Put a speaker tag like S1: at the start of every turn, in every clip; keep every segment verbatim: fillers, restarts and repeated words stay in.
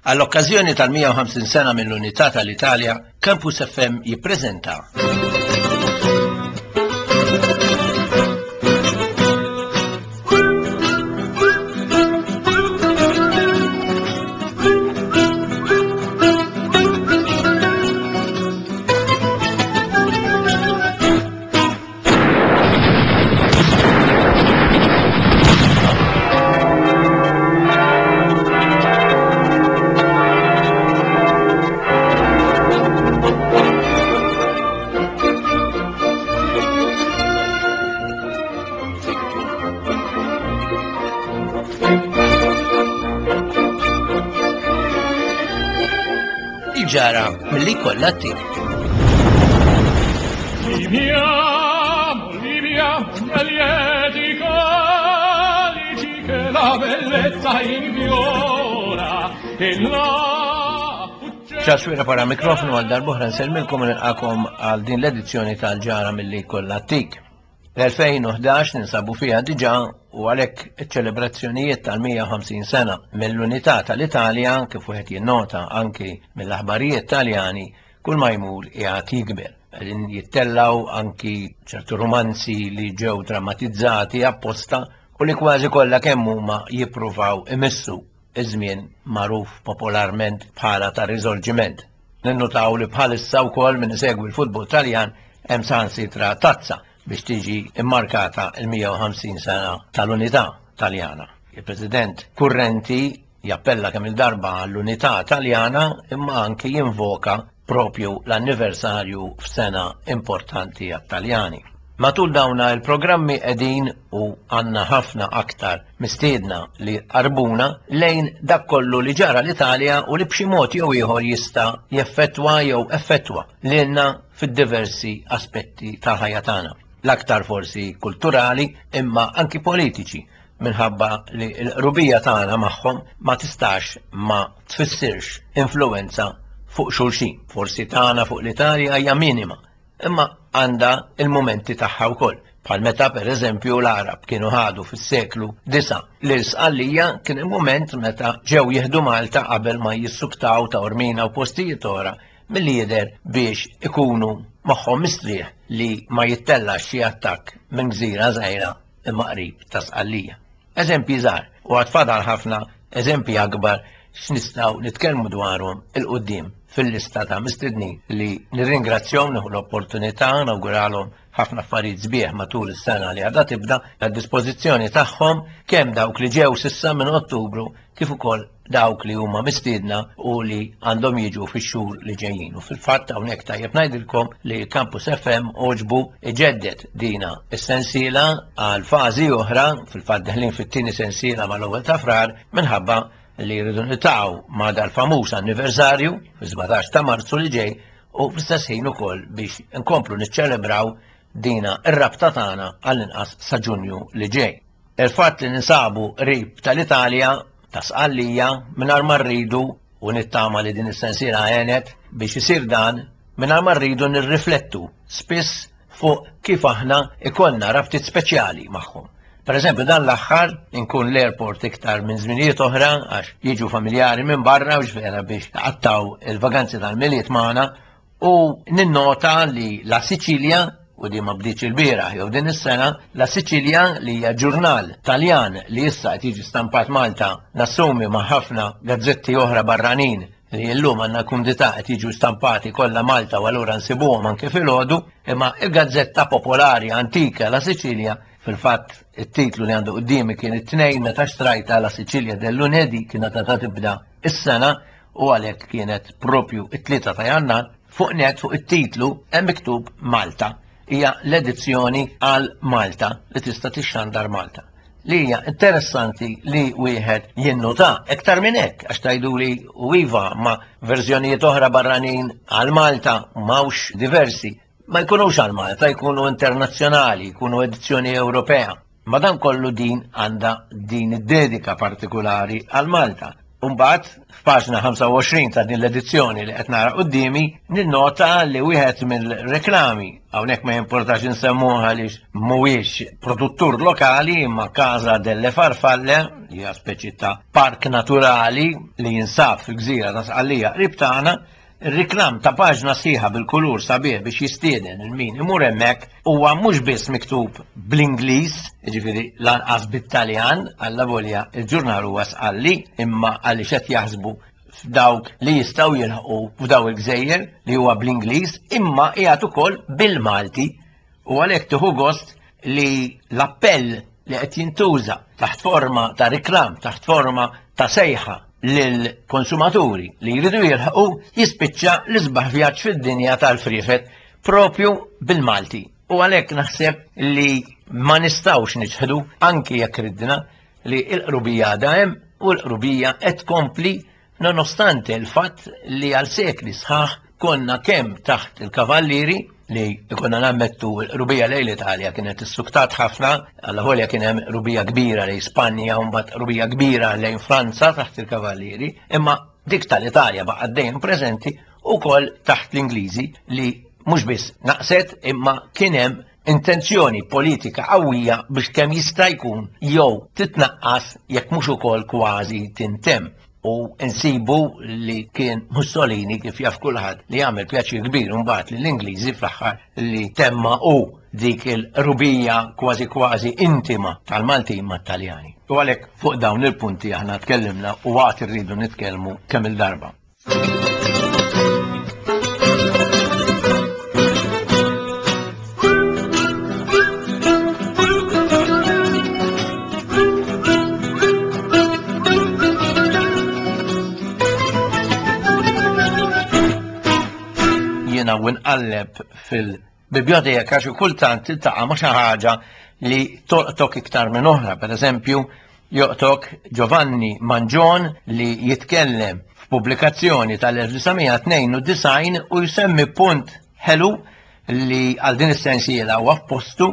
S1: Għall-okkażjoni tal-mija u ħamsin sena mill-Unità tal-Italja, Campus F M jippreżenta Il-ġara milli kollha tik.
S2: Viviamo, viviamo lieti calici che la bellezza infiora e la
S1: Ċaswira para mikrofonu għal darbohra nsellmilkom u nilqakom għal din l-edizzjoni tal-ġara milli kollha tik. L-elfejn u ħdax ninsabu fiha diġà u għalhekk iċ-ċelebrazzjonijiet tal-mija u ħamsin sena mill-Unità tal-Italja, kif wieħed jinnota anki mill-aħbarijiet Taljani, kull ma jmur qiegħed jikber. Qegħdin jittellaw anki ċertu romanzi li ġew drammatizzati apposta u li kważi kollha kemm huma jippruvaw imissu iż-żmien magħruf popolarment bħala ta' riżorġiment. Ninnutaw li bħalissa wkoll min isegwi l-futbol Taljan hemm saħansitra tazza biex tiġi immarkata l-mija u ħamsin sena tal-Unità Taljana. Il-President kurrenti jappella kemm il-darba għall-Unità Taljana imma anki jinvoka propju l-anniversarju f'sena importanti għat-Taljani. Matul dawna il-programmi qegħdin u għandna ħafna aktar mistiedna li qarbuna lejn dak kollu li ġara l-Italja u li b'xi mod jew ieħor jista' jeffettwa jew effettwa lilna fid-diversi aspetti tal-ħajja tagħna. L-aktar forsi kulturali imma anki politiċi, minħabba li l-qrubija tagħna magħhom ma tistax ma tfissirx influenza fuq xulxin. Forsi tagħna fuq l-Italja hija minima, imma għandha il-mumenti tagħha wkoll. Bħal meta pereżempju l-Arab kienu ħadu fis-seklu disa' lil Sqallija, kien il-mument meta ġew jieħdu Malta qabel ma jissuktaw ta' Ormina u postijiet oħra milli jidher biex ikunu magħhom mistrieħ li ma jittellax xi attakk minn gżira żgħira imma qrib ta' Sqallija. Eżempji żgħar u għad fadal ħafna eżempji akbar x'nistgħu nitkellmu dwarhom il-qudiem fil-lista ta' mistednin li nirringrazzjahom, nieħu l-opportunità nawguralhom ħafna affarijiet sbieħ matul is-sena li għadha tibda għad-dispożizzjoni tagħhom kemm dawk li ġew s'issa minn Ottubru kif ukoll dawk li huma mistiedna u li għandhom jiġu fix-xhur li ġejjin. U fil-fatt hawnhekk tajjeb ngħidilkom li Campus F M għoġbu iġeddet dina is-sensiela għal fażi oħra, fil-fatt deħlin fit-tieni sensiela mal-ewwel ta' Frar, minħabba li jridu niltaqgħu ma' dal-famuż anniversarju fis-sbatax ta' Marzu li ġej u fl-istess ħin ukoll biex nkomplu niċċelebraw dina ir-rabta tagħna għall-inqas sa' Ġunju li ġej. Il-fatt li ninsabu qrib tal-Italja, ta' Sqallija, mingħajr ma rridu, u nittama li din is-sensiela għenet biex isir dan, mingħajr ma rridu nirriflettu spiss fuq kif aħna ikollna rabtiet speċjali magħhom. Per eżempju, dan l-aħħar inkun l-airport iktar minn żminijiet oħra għax jiġu familjari minn barra u ġvera biex għattaw il-vaganzi tal-Milied magħna, u ninnota li la Sicilia, u di ma bdietx il-bieraħ jew din is-sena, la Sicilia li hija ġurnal Taljan li issa qed jiġi stampat Malta, nassumi ma' ħafna gazzetti oħra barranin li llum għandna kumdità qed jiġu stampati kollha Malta u allura nsibuhom anke filgħodu, imma il-gazzetta popolari antika La Sicilia, fil-fatt it-titlu li għandu quddiemi kien it-tnejn meta xtrajta La Sicilia del Lunedì, kienet għadha tibda is-sena u għalhekk kienet propju it-tlieta ta' Jannar, fuq net fuq it-titlu hemm miktub Malta. Hija l-edizzjoni għal Malta li tista' tixxandar Malta. Li hija interessanti li wieħed jinnota iktar minn hekk, għax tgħiduli u iva ma' verżjonijiet oħra barranin għal Malta m'hawnx diversi. Ma jkunux għal Malta, jkunu internazzjonali, jkunu edizzjoni Ewropea. Ma dan kollu din għandha din id-dedika partikolari għal Malta. Umbagħad f'paġna ħamsa u għoxrin ta' din l-edizzjoni li qed nara quddiemi ninnota li wieħed mill-reklami, hawnhekk ma jimportax insemmuha għaliex mhuwiex produttur lokali imma Casa delle Farfalle, li hija speċi ta' park naturali li jinsab fil-gżira ta' Sqallija qrib tagħna, ir-reklam ta' paġna sħiħa bil-kulur sabiħ biex jistieden il min imur hemmhekk huwa mhux biss miktub bl-Ingliż, jiġifieri lanqas bit-Taljan, alla volja il-ġurnal huwa Sqalli, imma għaliex qed jaħsbu f'dawk li jistgħu jilħqu f'daw il-gżejjer li huwa bl-Ingliż, imma qiegħed ukoll bil-Malti. U għalhekk tieħu gost li l-appell li qed jintuża taħt forma ta' reklam, taħt forma ta' sejħa lill-konsumaturi li jridu jilħqu, jispiċċa l-isbaħ vjaġġ fid-dinja tal-friefet propju bil-Malti. U għalhekk naħseb li ma nistgħux niċħdu, anki jekk ridna, li l-qrubija għadha hemm u l-qrubija qed tkompli nonostante l-fatt li għal sekli sħaħ konna kemm taħt il-kavallieri li konna nammettu l-qrubija lejn l-Italja kienet issuktat ħafna, alla volja kien hemm qrubija kbira lejn Spanja u mbagħad qrubija kbira lejn Franza taħt il-kavallieri, imma dik tal-Italja baqgħet dejjem preżenti ukoll taħt l-Ingliżi li mhux biss naqset imma kien hemm intenzjoni politika qawwija biex kemm jista' jkun jew titnaqqas jekk mhux ukoll kważi tintemm. U nsibu li kien Mussolini, kif jaf kulħadd, li għamel pjaċir kbir mbagħad lill-Ingliżi fl-aħħar li temma u dik il-rubija kważi kważi intima tal-Maltin mat-Taljani. U għalhekk fuq dawn il-punti aħna tkellimna u għad irridu nitkellmu kemm il-darba. Jiena u nqalleb fil-biblioteka xi kultant tiltaqa' ma' xi ħaġa li tolqtok iktar minn oħra. Per eżempju, joqtok Giovanni Mangion li jitkellem f'pubblikazzjoni tal-elf disa' mija tnejn u disgħin u jsemmi punt ħelu li għal din is-sensiela huwa f'postu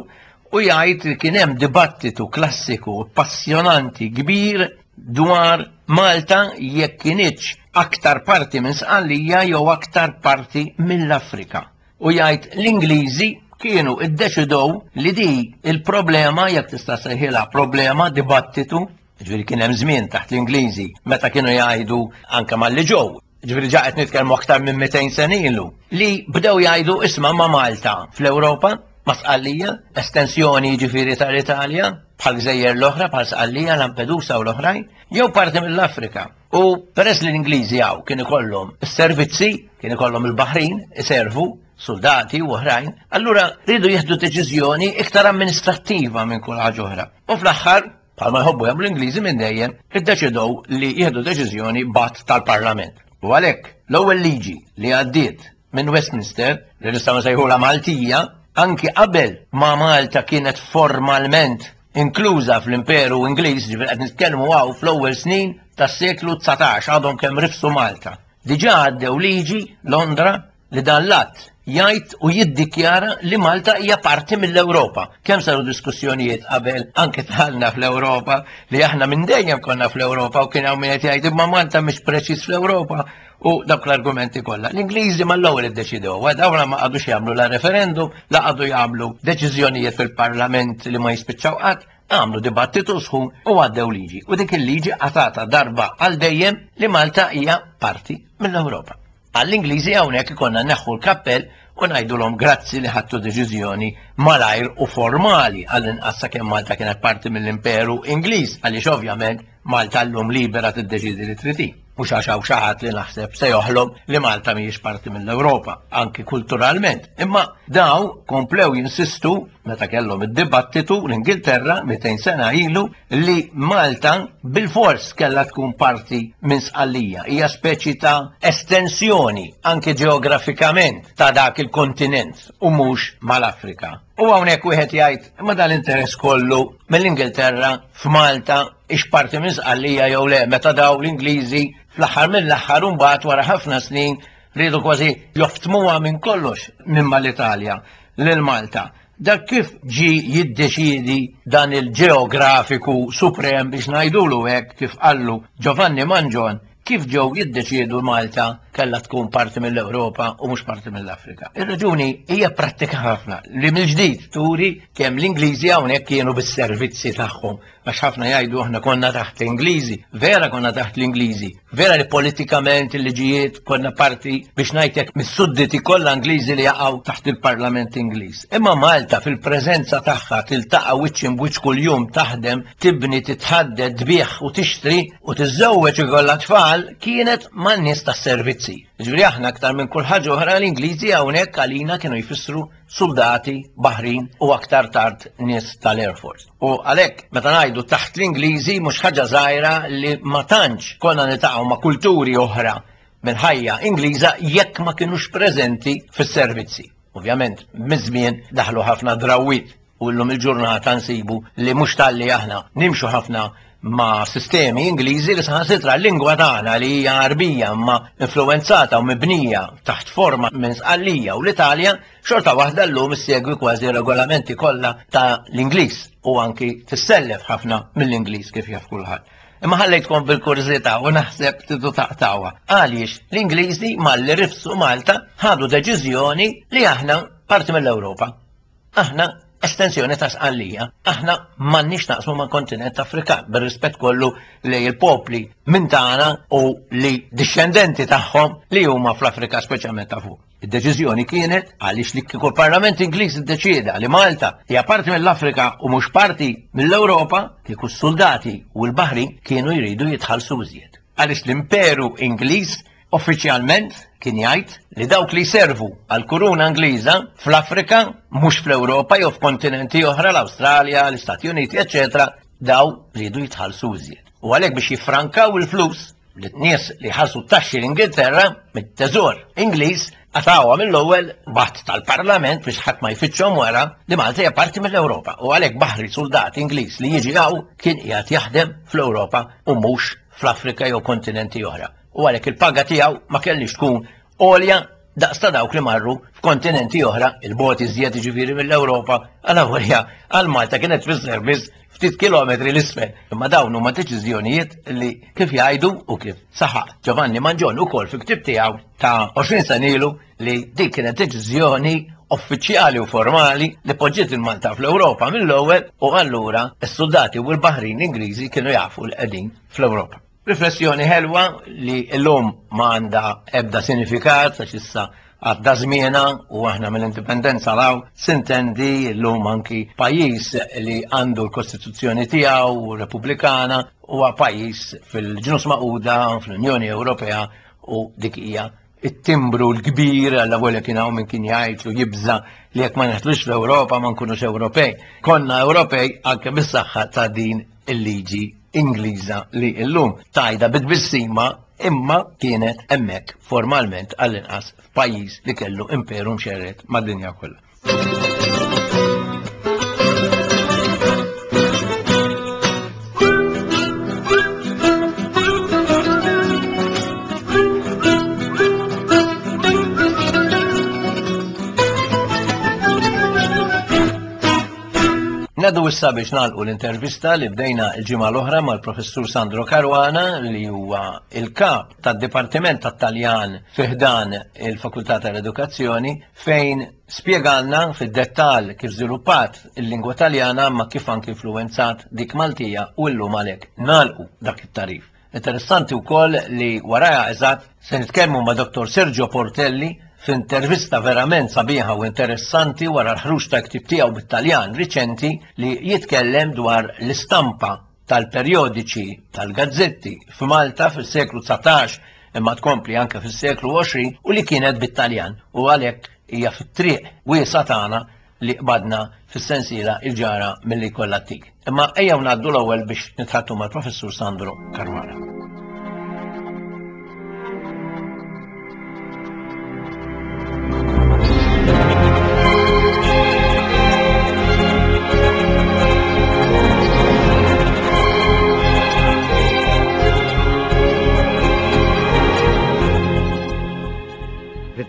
S1: u jgħid li kien hemm dibattitu klassiku passjonanti kbir dwar Malta jekk kienitx aktar parti minn Sqallija jew aktar parti mill-Afrika. U jgħid l-Ingliżi kienu iddeċidew li di il-problema, jekk tista' sejħilha problema, dibattitu, ġifieri kien hemm żmien taħt l-Ingliżi meta kienu jgħidu anke malli ġew, ġifieri ġa qed nitkellmu aktar minn mitejn sena ilu, li bdew jgħidu isma' ma' Malta fl-Ewropa, ma' Sqallija, estensjoni ġifieri tal-Italja, bħal gżejjer l-oħra, bħal Sqallija, Lampedusa u l-oħrajn, jew parti mill-Afrika. U peress li l-Ingliżi hawn kien ikollhom is-servizzi, kien ikollhom il-Baħrin, iservu, soldati u oħrajn, allura rridu jieħdu deċiżjoni iktar amministrattiva minn kull ħaġa oħra. U fl-aħħar, bħalma jħobbu jagħmlu l-Ingliżi minn dejjem, iddeċidew li jieħdu deċiżjoni bat tal-Parlament. U għalhekk l-ewwel liġi li għaddiet minn Westminster, li nistgħu nsejħulha Maltija, anki qabel ma Malta kienet formalment inkluża fl-Imperu Ingliż, ġifieri qed nitkellmu hawn fl-ewwel snin tas-seklu dsatax, għadhom kemm rifsu Malta. Diġà għaddew liġi Londra li dan l-att jgħid u jiddikjara li Malta hija parti mill-Ewropa. Kemm saru diskussjonijiet qabel anke dħalna fl-Ewropa, li aħna minn dejjem konna fl-Ewropa u kien hawn min qed jgħid imma Malta mhix preċiż fl-Ewropa u dawk l-argumenti kollha. L-Ingliżi mal-ewwel iddeċidew, dawn ma qagħdux jagħmlu la referendum, la qagħdu jagħmlu deċiżjonijiet fil-Parlament li ma jispiċċaw qatt, għamlu dibattitu sħun u għaddew liġi. U dik il-liġi qatata darba għal dejjem li Malta hija parti mill-Ewropa. Għall-Ingliżi hawnhekk ikollna neħħu l-kappell u ngħidulhom grazzi li ħadtu deċiżjoni malajr u formali għall-inqas sakemm Malta kienet parti mill-Imperu Ingliż, għaliex ovvjament Malta llum libera tiddeċiedi li trid hi. Mhux għax hawn xi ħadd li naħseb se joħlom li Malta mhijiex parti mill-Ewropa, anki kulturalment. Imma daw komplew jinsistu meta kellhom id-dibattitu l-Ingilterra mitejn sena ilu li Malta bil-fors kellha tkun parti minn Sqallija. Hija speċi ta' estensjoni anke ġeografikament ta' dak il-kontinent u mhux mal-Afrika. U hawnhekk wieħed jgħid imma dan l-interess kollu mill-Ingilterra f'Malta ix parti minn Sqallija jew le, meta daw l-Ingliżi fl-aħħar mill-aħħar u mbagħad wara ħafna snin riedu kważi joftmuha minn kollox minn mal-Italja lil Malta. Dak kif ġi jiddeċiedi dan il-ġeografiku suprem biex ngħidulu hekk kif qallu Giovanni Mangion Kif ġew jiddeċiedu Malta kellha tkun parti mill-Ewropa u mhux parti mill-Afrika? Ir-raġuni hija prattika ħafna li mill-ġdid turi kemm l-Ingliżi hawnhekk kienu bis-servizzi tagħhom, għax ħafna jgħidu aħna konna taħt l-Ingliżi, vera konna taħt l-Ingliżi, vera li politikament il-liġijiet konna parti biex ngħidlek mis-sudditi kollha Ingliżi li jaqgħu taħt il-Parlament Ingliż. Imma Malta fil-preżenza tagħha tiltaqa' wiċċ imbwiċċ kuljum, taħdem, tibni, titħadded, tbigħ u tixtri u tiżżewweġ ikollha tfal, kienet man-nies tas-servizzi. Ġifieri aħna aktar minn kull ħaġa oħra l-Ingliżi hawnhekk għalina kienu jfissru soldati, baħrin u aktar tard nies tal-Air Force. U għalhekk meta ngħidu taħt l-Ingliżi mhux ħaġa żgħira li ma tantx konna niltaqgħu ma' kulturi oħra mill-ħajja Ingliża jekk ma kinux preżenti fis-servizzi. Ovvjament, miż-żmien daħlu ħafna drawwiet u llum il-ġurnata nsibu li mhux talli aħna nimxu ħafna ma' sistemi Ingliżi li saħansitra l-lingwa tagħna li hija Għarbija ma influwenzata u mibnija taħt forma minn Sqallija u l-Italja, xorta waħda llum issegwi kważi regolamenti kollha ta' l-Ingliż u anki tissellef ħafna mill-Ingliż kif jaf kulħadd. Imma ħallejtkom bil-kurżità u naħseb tidu taqtawha. Għaliex l-Ingliżi malli rifsu Malta ħadu deċiżjoni li aħna parti mill-Ewropa. Aħna estensjoni ta' Sqallija, aħna m'għandniex naqsmu ma' kontinent Afrikan, bir-rispett kollu li l-popli minn tagħna u li dixxendenti tagħhom li huma fl-Afrika speċjalment ta' fuq. Id-deċiżjoni kienet għaliex li kieku l-Parlament Ingliż iddeċieda li Malta hija parti mill-Afrika u mhux parti mill-Ewropa, kieku s-soldati u l-baħri kienu jridu jitħallsu iżjed. Għaliex l-Imperu Ingliż uffiċjalment kien jgħid li dawk li jservu għall-kuruna Ingliża fl-Afrika, mhux fl-Ewropa jew f'kontinenti oħra, l-Awstralja, l-Istati Uniti, eċċetera, daw rridu jitħallsu iżjed. U għalhekk biex jiffrankaw il-flus li nies li ħallsu taxxi l-Ingilterra mit-teżor Ingliż qatgħuha mill-ewwel bat tal-Parlament biex ħadd ma jfittxhom wara li Malta hija parti mill-Ewropa. U għalhekk baħri soldat Ingliż li jiġi hawn kien qiegħed jaħdem fl-Ewropa u mhux fl-Afrika jew kontinenti oħra. U għalhekk il-paga tiegħu ma kellix tkun għolja daqs ta' dawk li marru f'kontinenti oħra, il-bot iżjed jiġifieri mill-Ewropa, għal għolja għal Malta kienet tfisser biss ftit kilometri l-isfel. Imma dawn huma deċiżjonijiet li kif jgħidu u kif saħaq Giovanni Mangion ukoll fi ktib tiegħu ta' għoxrin sena ilu li dik kienet deċiżjoni uffiċjali u formali li poġġiet il-Malta fl-Ewropa mill-ewwel u allura s-soldati u l-baħrin Ingliżi kienu jafu l qegħdin fl-Ewropa. Riflessjoni ħelwa li llum ma għandha ebda sinifikat għax issa għadda żmienha u aħna mill-indipendenza law sintendi llum anki pajjiż li għandu l-Kostituzzjoni tiegħu Repubblikana huwa pajjiż fil-Ġnus Magħquda fl-Unjoni Ewropea u dik hija it-timbru l-kbir għalla volja kien hawn min kien jgħid u jibża li jekk ma neħtlux fl-Ewropa ma nkunux Ewropej. Konna Ewropej anke bis-saħħa ta' din il-liġi Ingliża li llum tajda bit-tbissima imma kienet hemmhekk formalment għall-inqas f'pajjiż li kellu imperu mxerred mad-dinja kollha. Nadu issa biex nagħlqu l-intervista li bdejna l-ġimgħa l-oħra mal-Professur Sandro Caruana li huwa il-kap tad-Dipartiment tat-Taljan fi ħdan il-Fakultà tal-Edukazzjoni fejn spjegalna fid-dettall kif żviluppat il-lingwa Taljana ma kif anki influwenzat dik Maltija u llum għalhekk nagħlqu dak it-tarif. Interessanti wkoll li waraja eżatt se nitkellmu ma' Dottor Sergio Portelli f'intervista verament sabiħa u interessanti wara l-ħruġ ta' ktib tiegħu bit-Taljan riċenti li jitkellem dwar l-istampa tal-perjodiċi tal-gazzetti f'Malta fis-seklu dsatax imma tkompli anke fis-seklu għoxrin u li kienet bit-Taljan u għalhekk hija fit-triq wiesgħa tagħna li qbadna fis-sensiela il-ġara milli kollha tik. Imma ejjew ngħaddu l-ewwel biex nitħattu mal-Professur Sandro Caruana.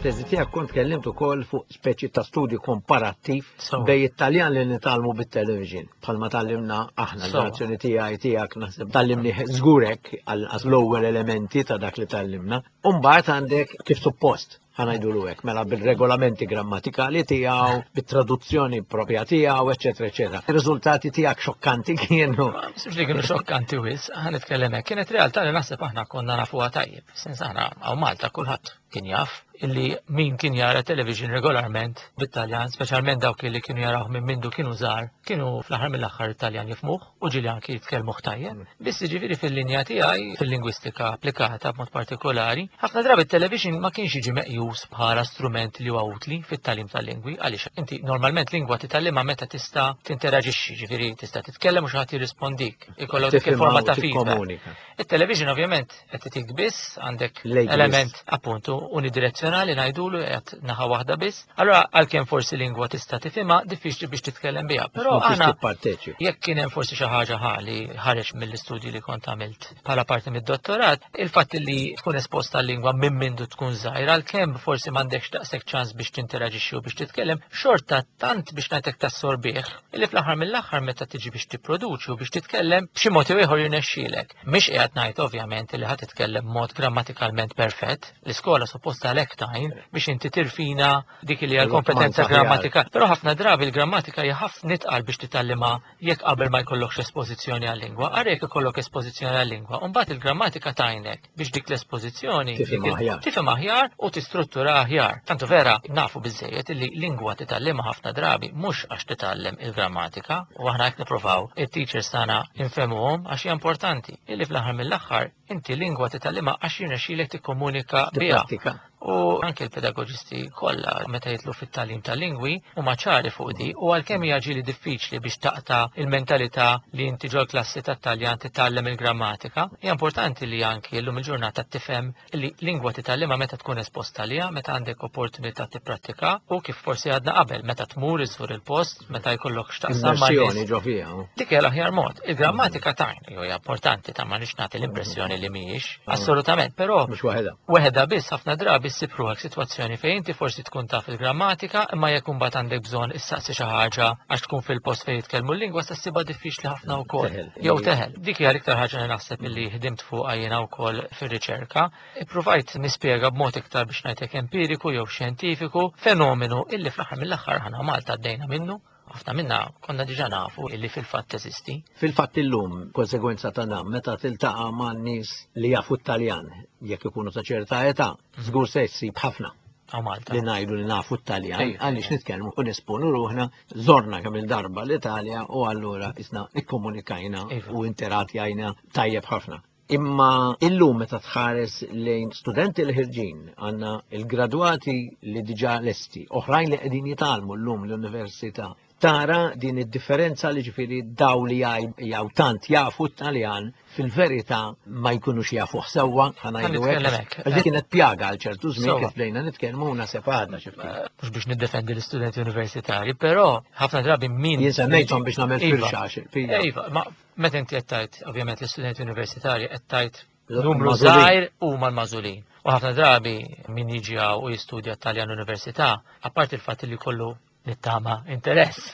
S1: Fit-teżi tiegħek kont tkellimt ukoll fuq speċi ta' studju komparattiv
S3: So.
S1: bejn it-Taljan li nitgħallmu bit-television, bħalma tgħallimna aħna,
S3: So.
S1: ġenerazzjoni tiegħi, tiegħek, naħseb tgħallimni żgurek għal l-ewwel elementi ta' dak li tgħallimna. U mbagħad għandek kif suppost, ħa ngħidulu hekk, mela bil-regolamenti grammatikali tiegħu, bit-traduzzjoni propja tiegħu, eċetera, eċetera. Ir-riżultati tiegħek xokkanti kienu.
S3: Ma naħsibx li kienu xokkanti wisq, ħa nitkellem hekk. Kienet realtà li naħseb aħna konna nafuha tajjeb. Sens aħna hawn Malta kulħadd kien jaf illi min kien jara television regolarment bit-Taljan, speċjalment dawk li kienu jaraw minn mindu kienu żgħar, kienu fl-aħħar mill-aħħar Italjan jifhmuh u ġieli anki jitkellmuh tajjeb. Biss ġifieri fil-linja tiegħi, fil-lingwistika applikata b'mod partikolari, ħafna drabi television ma kienx jiġi meqjus bħala strument li huwa utli fit-tagħlim tal-lingwi, għaliex inti normalment lingwa titgħallimha meta tista' tinteraġixxi, ġifieri tista' titkellem u xi ħadd jirrispondik. Ikollok dik
S1: Tifhimha
S3: il-forma
S1: u
S3: ta' feedback.
S1: tikkomunika.
S3: Il-television ovvjament qed titik biss għandek
S1: Lejk biss.
S3: element appuntu unidirezzjonali, ngħidulu, qed naħa waħda biss. Allora għalkemm forsi lingwa tista' tifhimha, diffiċli biex titkellem biha. Però
S1: Mhux
S3: aħna
S1: tipparteċi.
S3: jekk kien hemm forsi xi ħaġa ħa li ħareġ mill-istudji li kont għamilt bħala parti mid-dottorat, il-fatt li tkun esposta għal-lingwa minn mindu tkun żgħir, għalkemm forsi m'għandekx daqshekk ċans biex tinteraġixxi u biex titkellem, xorta tant biex ngħidlek tassorbih, illi fl-aħħar mill-aħħar meta tiġi biex tipproduċi u biex titkellem, b'xi mod jew ieħor jirnexxielek. Mhix qiegħed ngħid ovvjament li ħa titkellem mod grammatikalment perfett, l-iskola supposta għalhekk tgħin biex inti tirfina dik li hija l-kompetenza
S1: Aħjar.
S3: grammatika. Però ħafna drabi il-grammatika hija ħafna itqal biex titgħallimha jekk qabel ma jkollokx espożizzjoni għal-lingwa. Ara jekk ikollok espożizzjoni għal-lingwa, u mbagħad il-grammatika tgħinek biex dik l-espożizzjoni
S1: Tifhem
S3: dik il-
S1: aħjar.
S3: tifhem aħjar u tistruttura aħjar. Tantu vera nafu biżejjed illi lingwa titgħallimha ħafna drabi mhux għax titgħallem il-grammatika, u aħna hekk nippruvaw it-teachers tagħna infehmuhom għax hija importanti illi fl-aħħar mill-aħħar inti lingwa titgħallimha għax jirnexxielek tikkomunika biha.
S1: Tipprattika.
S3: U anke l-pedagogisti kollha meta jidħlu fit-tagħlim tal-lingwi huma ċari fuq di, u għalkemm hija ġieli diffiċli biex taqta' il-mentalità li inti ġol klassi tat-Taljan titgħallem il-grammatika, hija importanti li anki llum il-ġurnata tifhem li lingwa titgħallimha meta tkun esposta għaliha, meta għandek opportunità tipprattika u kif forsi għadna qabel, meta tmur iżżur il-post, meta jkollok x'taqsam ma' nies.
S1: Immersjoni ġo fiha.
S3: Dik hija l-aħjar mod. Il-grammatika tajn, jo hija importanti, ta' ma nix nagħti l-impressjoni li mhijiex, assolutament, però
S1: Mhux waħedha.
S3: weħeda biss ħafna drabi ssib ruħek sitwazzjoni fejn inti forsi tkun taf il-grammatika, imma jekk imbagħad għandek bżonn issaqsi xi ħaġa għax tkun fil-post fejn jitkellmu l-lingwa, se ssibha diffiċli ħafna wkoll.
S1: Teħel.
S3: Jew teħel. Dik hija l-iktar ħaġa li naħseb illi ħdimt fuqha jiena wkoll fir-riċerka. Ippruvajt nispjega b'mod iktar biex ngħidlek empiriku jew xjentifiku fenomenu illi fl-aħħar mill-aħħar aħna Malta għaddejna minnu. Ħafna minna konna diġà nafu illi fil-fatt teżisti.
S1: Fil-fatt illum, konsegwenza ta' dan, meta tiltaqa' ma' nies li jafu t-Taljan, jekk ikunu ta' ċerta età, żgur se jsib ħafna
S3: Hawn Malta.
S1: li ngħidu li nafu t-Taljan,
S3: Ejja,
S1: għaliex
S3: ejja.
S1: nitkellmu u nesponu ruħna, żorna kemm il-darba l-Italja u allura isna ikkomunikajna
S3: Iva.
S1: u interatjajna tajjeb ħafna. Imma illum meta tħares lejn studenti li ħirġin, għandna il-gradwati li diġà lesti, oħrajn li qegħdin jitgħallmu llum l-università, tara din id-differenza li ġifieri daw li jgħidu tant jafu t-Taljan fil-verità ma jkunux jafu sewwa, ħa ngħidu hekk.
S3: nitkellem hekk.
S1: Għax dik kienet pjaga għal ċertu żmien
S3: Sewwa.
S1: kif bdejna nitkellmu u naħseb għadna xi ftit.
S3: Mhux biex niddefendi l-istudenti universitari, però ħafna drabi min.
S1: Jien semmejthom biex nagħmel
S3: Iva.
S1: firxa għax fija.
S3: Iva, ma meta inti qed tgħid ovvjament l-istudenti universitari qed tgħid numru
S1: Magħżulin.
S3: żgħir huma l-magħżulin. U ħafna drabi min jiġi hawn u jistudja Taljan università, apparti il-fatt li kollu nittama interess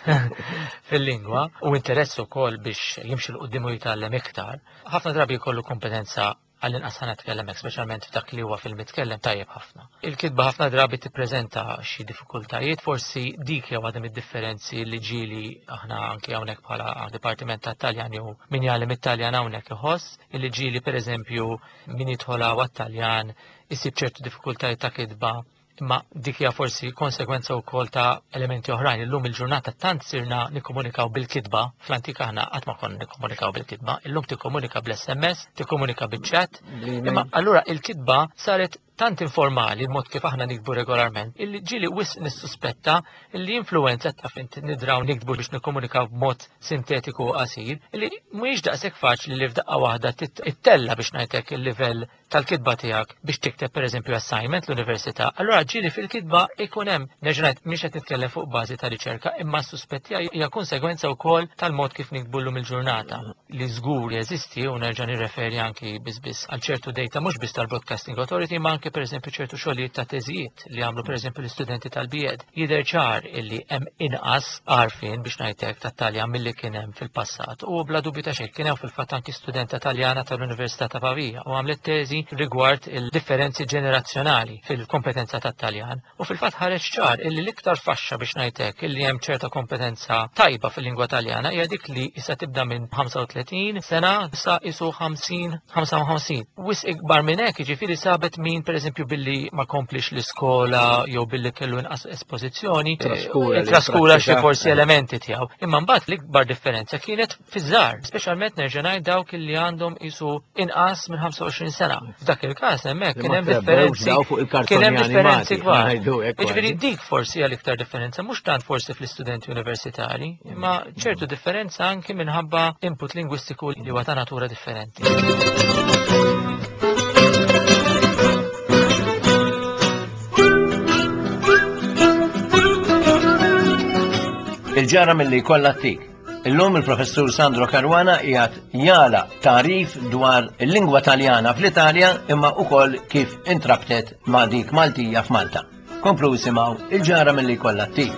S3: fil-lingwa u interess ukoll biex jimxi 'l quddiem u jitgħallem iktar, ħafna drabi jkollu kompetenza, għall-inqas ħa nitkellem hekk, speċjalment f'dak li huwa fil-mitkellem, tajjeb ħafna. Il-kitba ħafna drabi tippreżenta xi diffikultajiet, forsi dik jew għadem id-differenzi li ġieli aħna anke hawnhekk bħala Dipartiment tat-Taljan jew min jgħallem it-Taljan hawnhekk iħoss, illi ġieli pereżempju min jidħol għat-Taljan isib ċertu diffikultajiet ta' kitba, imma dik hija forsi konsegwenza wkoll ta' elementi oħrajn. Illum il-ġurnata tant sirna nikkomunikaw bil-kitba, fl-antika aħna qatt ma konna nikkomunikaw bil-kitba, illum tikkomunika bl-S M S, tikkomunika bil-chat, imma allura il-kitba saret tant informali, il-mod kif aħna nikbu regolarment, illi ġieli wisq nissuspetta illi influenza ta' fint nidraw nikbu biex nikkomunikaw b'mod sintetiku u qasir, illi mhuwiex daqshekk faċli li f'daqqa waħda ittella biex ngħidlek il-livell tal-kitba tiegħek biex tikteb pereżempju assignment l-università. Allura ġieli fil-kitba ikun hemm, nerġa' ngħid, mhix qed nitkellem fuq bażi ta' riċerka, imma suspetti hija konsegwenza wkoll tal-mod kif nikbu llum il-ġurnata. Li żgur jeżisti, u nerġa' nirreferi anki biss biss għal ċertu data mhux biss tal-Broadcasting Authority ma anki anke pereżempju ċertu xogħlijiet ta' teżijiet li għamlu pereżempju l-istudenti tal-B Ed. Jidher ċar illi hemm inqas għarfien, biex ngħidlek, tat-Taljan milli kien hemm fil-passat. U bla dubju ta' xejn kien hemm fil-fatt anki studenta Taljana tal-Università ta' Pavia u għamlet teżi rigward il-differenzi ġenerazzjonali fil-kompetenza tat-Taljan. U fil-fatt ħareġ ċar illi l-iktar faxxa, biex ngħidlek, illi hemm ċerta kompetenza tajba fil-lingwa Taljana hija dik li issa tibda minn ħamsa u tletin sena sa isu ħamsin, ħamsa u ħamsin. Wisq ikbar minn hekk, jiġifieri sabet min pereżempju billi ma komplix l-iskola jew billi kellu inqas espożizzjoni,
S1: Traskura
S3: eh,
S1: li
S3: traskura xi
S1: prattika.
S3: forsi elementi tiegħu. Imma mbagħad l-ikbar differenza kienet fiż-żgħar, speċjalment nerġa' ngħid dawk li għandhom isu inqas minn ħamsa u għoxrin sena. F'dak il-każ hemmhekk
S1: Li
S3: kien
S1: ma
S3: hemm
S1: trebbewx
S3: differenzi
S1: daw fuq il-kartoni
S3: kien hemm differenzi
S1: animati,
S3: kbar.
S1: ngħidu hekk
S3: Jiġifieri
S1: kważi.
S3: dik forsi hija l-iktar differenza, mhux tant forsi fl-istudenti universitari, imma ċertu differenza anki minħabba input lingwistiku li huwa ta' natura differenti.
S1: Il-Ġara Milli Jkollha Ttik. Illum il-professur Sandro Caruana qiegħed jagħtina tagħrif dwar il-lingwa Taljana fl-Italja imma ukoll kif intrabtet ma' dik Maltija f'Malta. Komplu isimgħu Il-Ġara Milli Jkollha Ttik.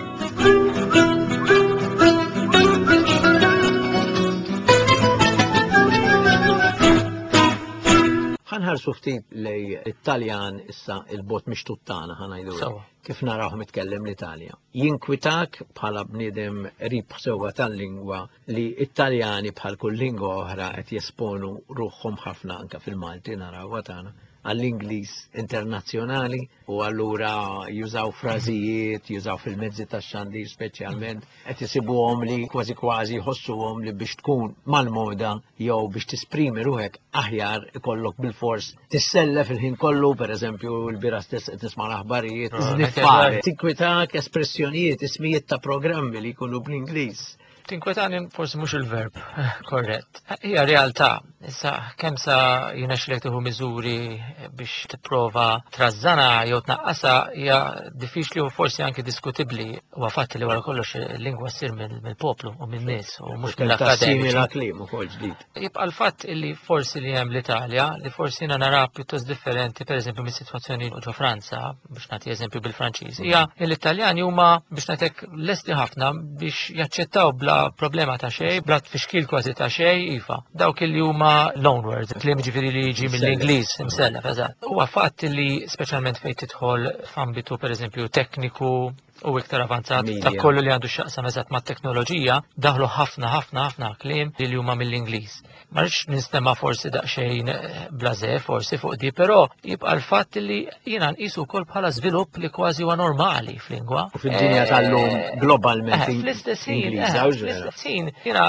S1: Ħa nħarsu ftit lejn it-Taljan issa il-bot mixtuttana ħa ngħidu.
S3: Sewwa.
S1: Kif narawh mitkellem l-Italja. Jinkwitak bħala bniedem qrib sewwa tal-lingwa li Italjani bħal kull lingwa oħra qed jesponu ruħhom ħafna, anka fil-Malti naraw tagħna, għall-Ingliż internazzjonali u allura jużaw frażijiet, jużaw fil-mezzi tax-xandir speċjalment, qed isibuhom li kważi kważi jħossuhom li biex tkun mal-moda jew biex tisprimi ruħek aħjar ikollok bil-fors tissellef il-ħin kollu, per eżempju l-bieraħ stess qed nisma' l-aħbarijiet, żniffar, tinkwitak espressjonijiet, ismijiet ta' programmi li jkunu bl-Ingliż?
S3: Tinkwetani forsi mhux il-verb korrett. Hija realtà. Issa kemm sa jirnexxilek tieħu miżuri biex tipprova trażżana jew tnaqqasha hija diffiċli u forsi anke diskutibbli. Huwa fatt li wara kollox il-lingwa ssir mill-poplu u min-nies u mhux mill-akademiċi.
S1: Kliem ukoll ġdid.
S3: Jibqa' l-fatt illi forsi li hemm l-Italja, li forsi jiena nara pjuttost differenti pereżempju mis-sitwazzjoni ġo Franza, biex nagħti eżempju bil-Franċiż, hija l-Italjani huma, biex ngħidlek, lesti ħafna biex jaċċettaw bla problema ta' xejn, bla tfixkil kważi ta' xejn, iva. Dawk li huma loan words, kliem ġifieri li jiġi mill-Ingliż, imsellef, eżatt. Huwa fatt li speċjalment fejn tidħol f'ambitu pereżempju tekniku u iktar avanzat ta' kollu li għandu x'jaqsam eżatt ma' teknoloġija, daħlu ħafna ħafna ħafna kliem li huma mill-Ingliż. Ma rridx ninstema' forsi daqsxejn eh, blażè forsi fuq di, però jibqa' l-fatt li jiena nqisu wkoll bħala żvilupp li kważi huwa normali f'lingwa.
S1: U fid-dinja tal-lum
S3: eh,
S1: globalment
S3: eh, fl-istess ħin, fl-istess ħin jiena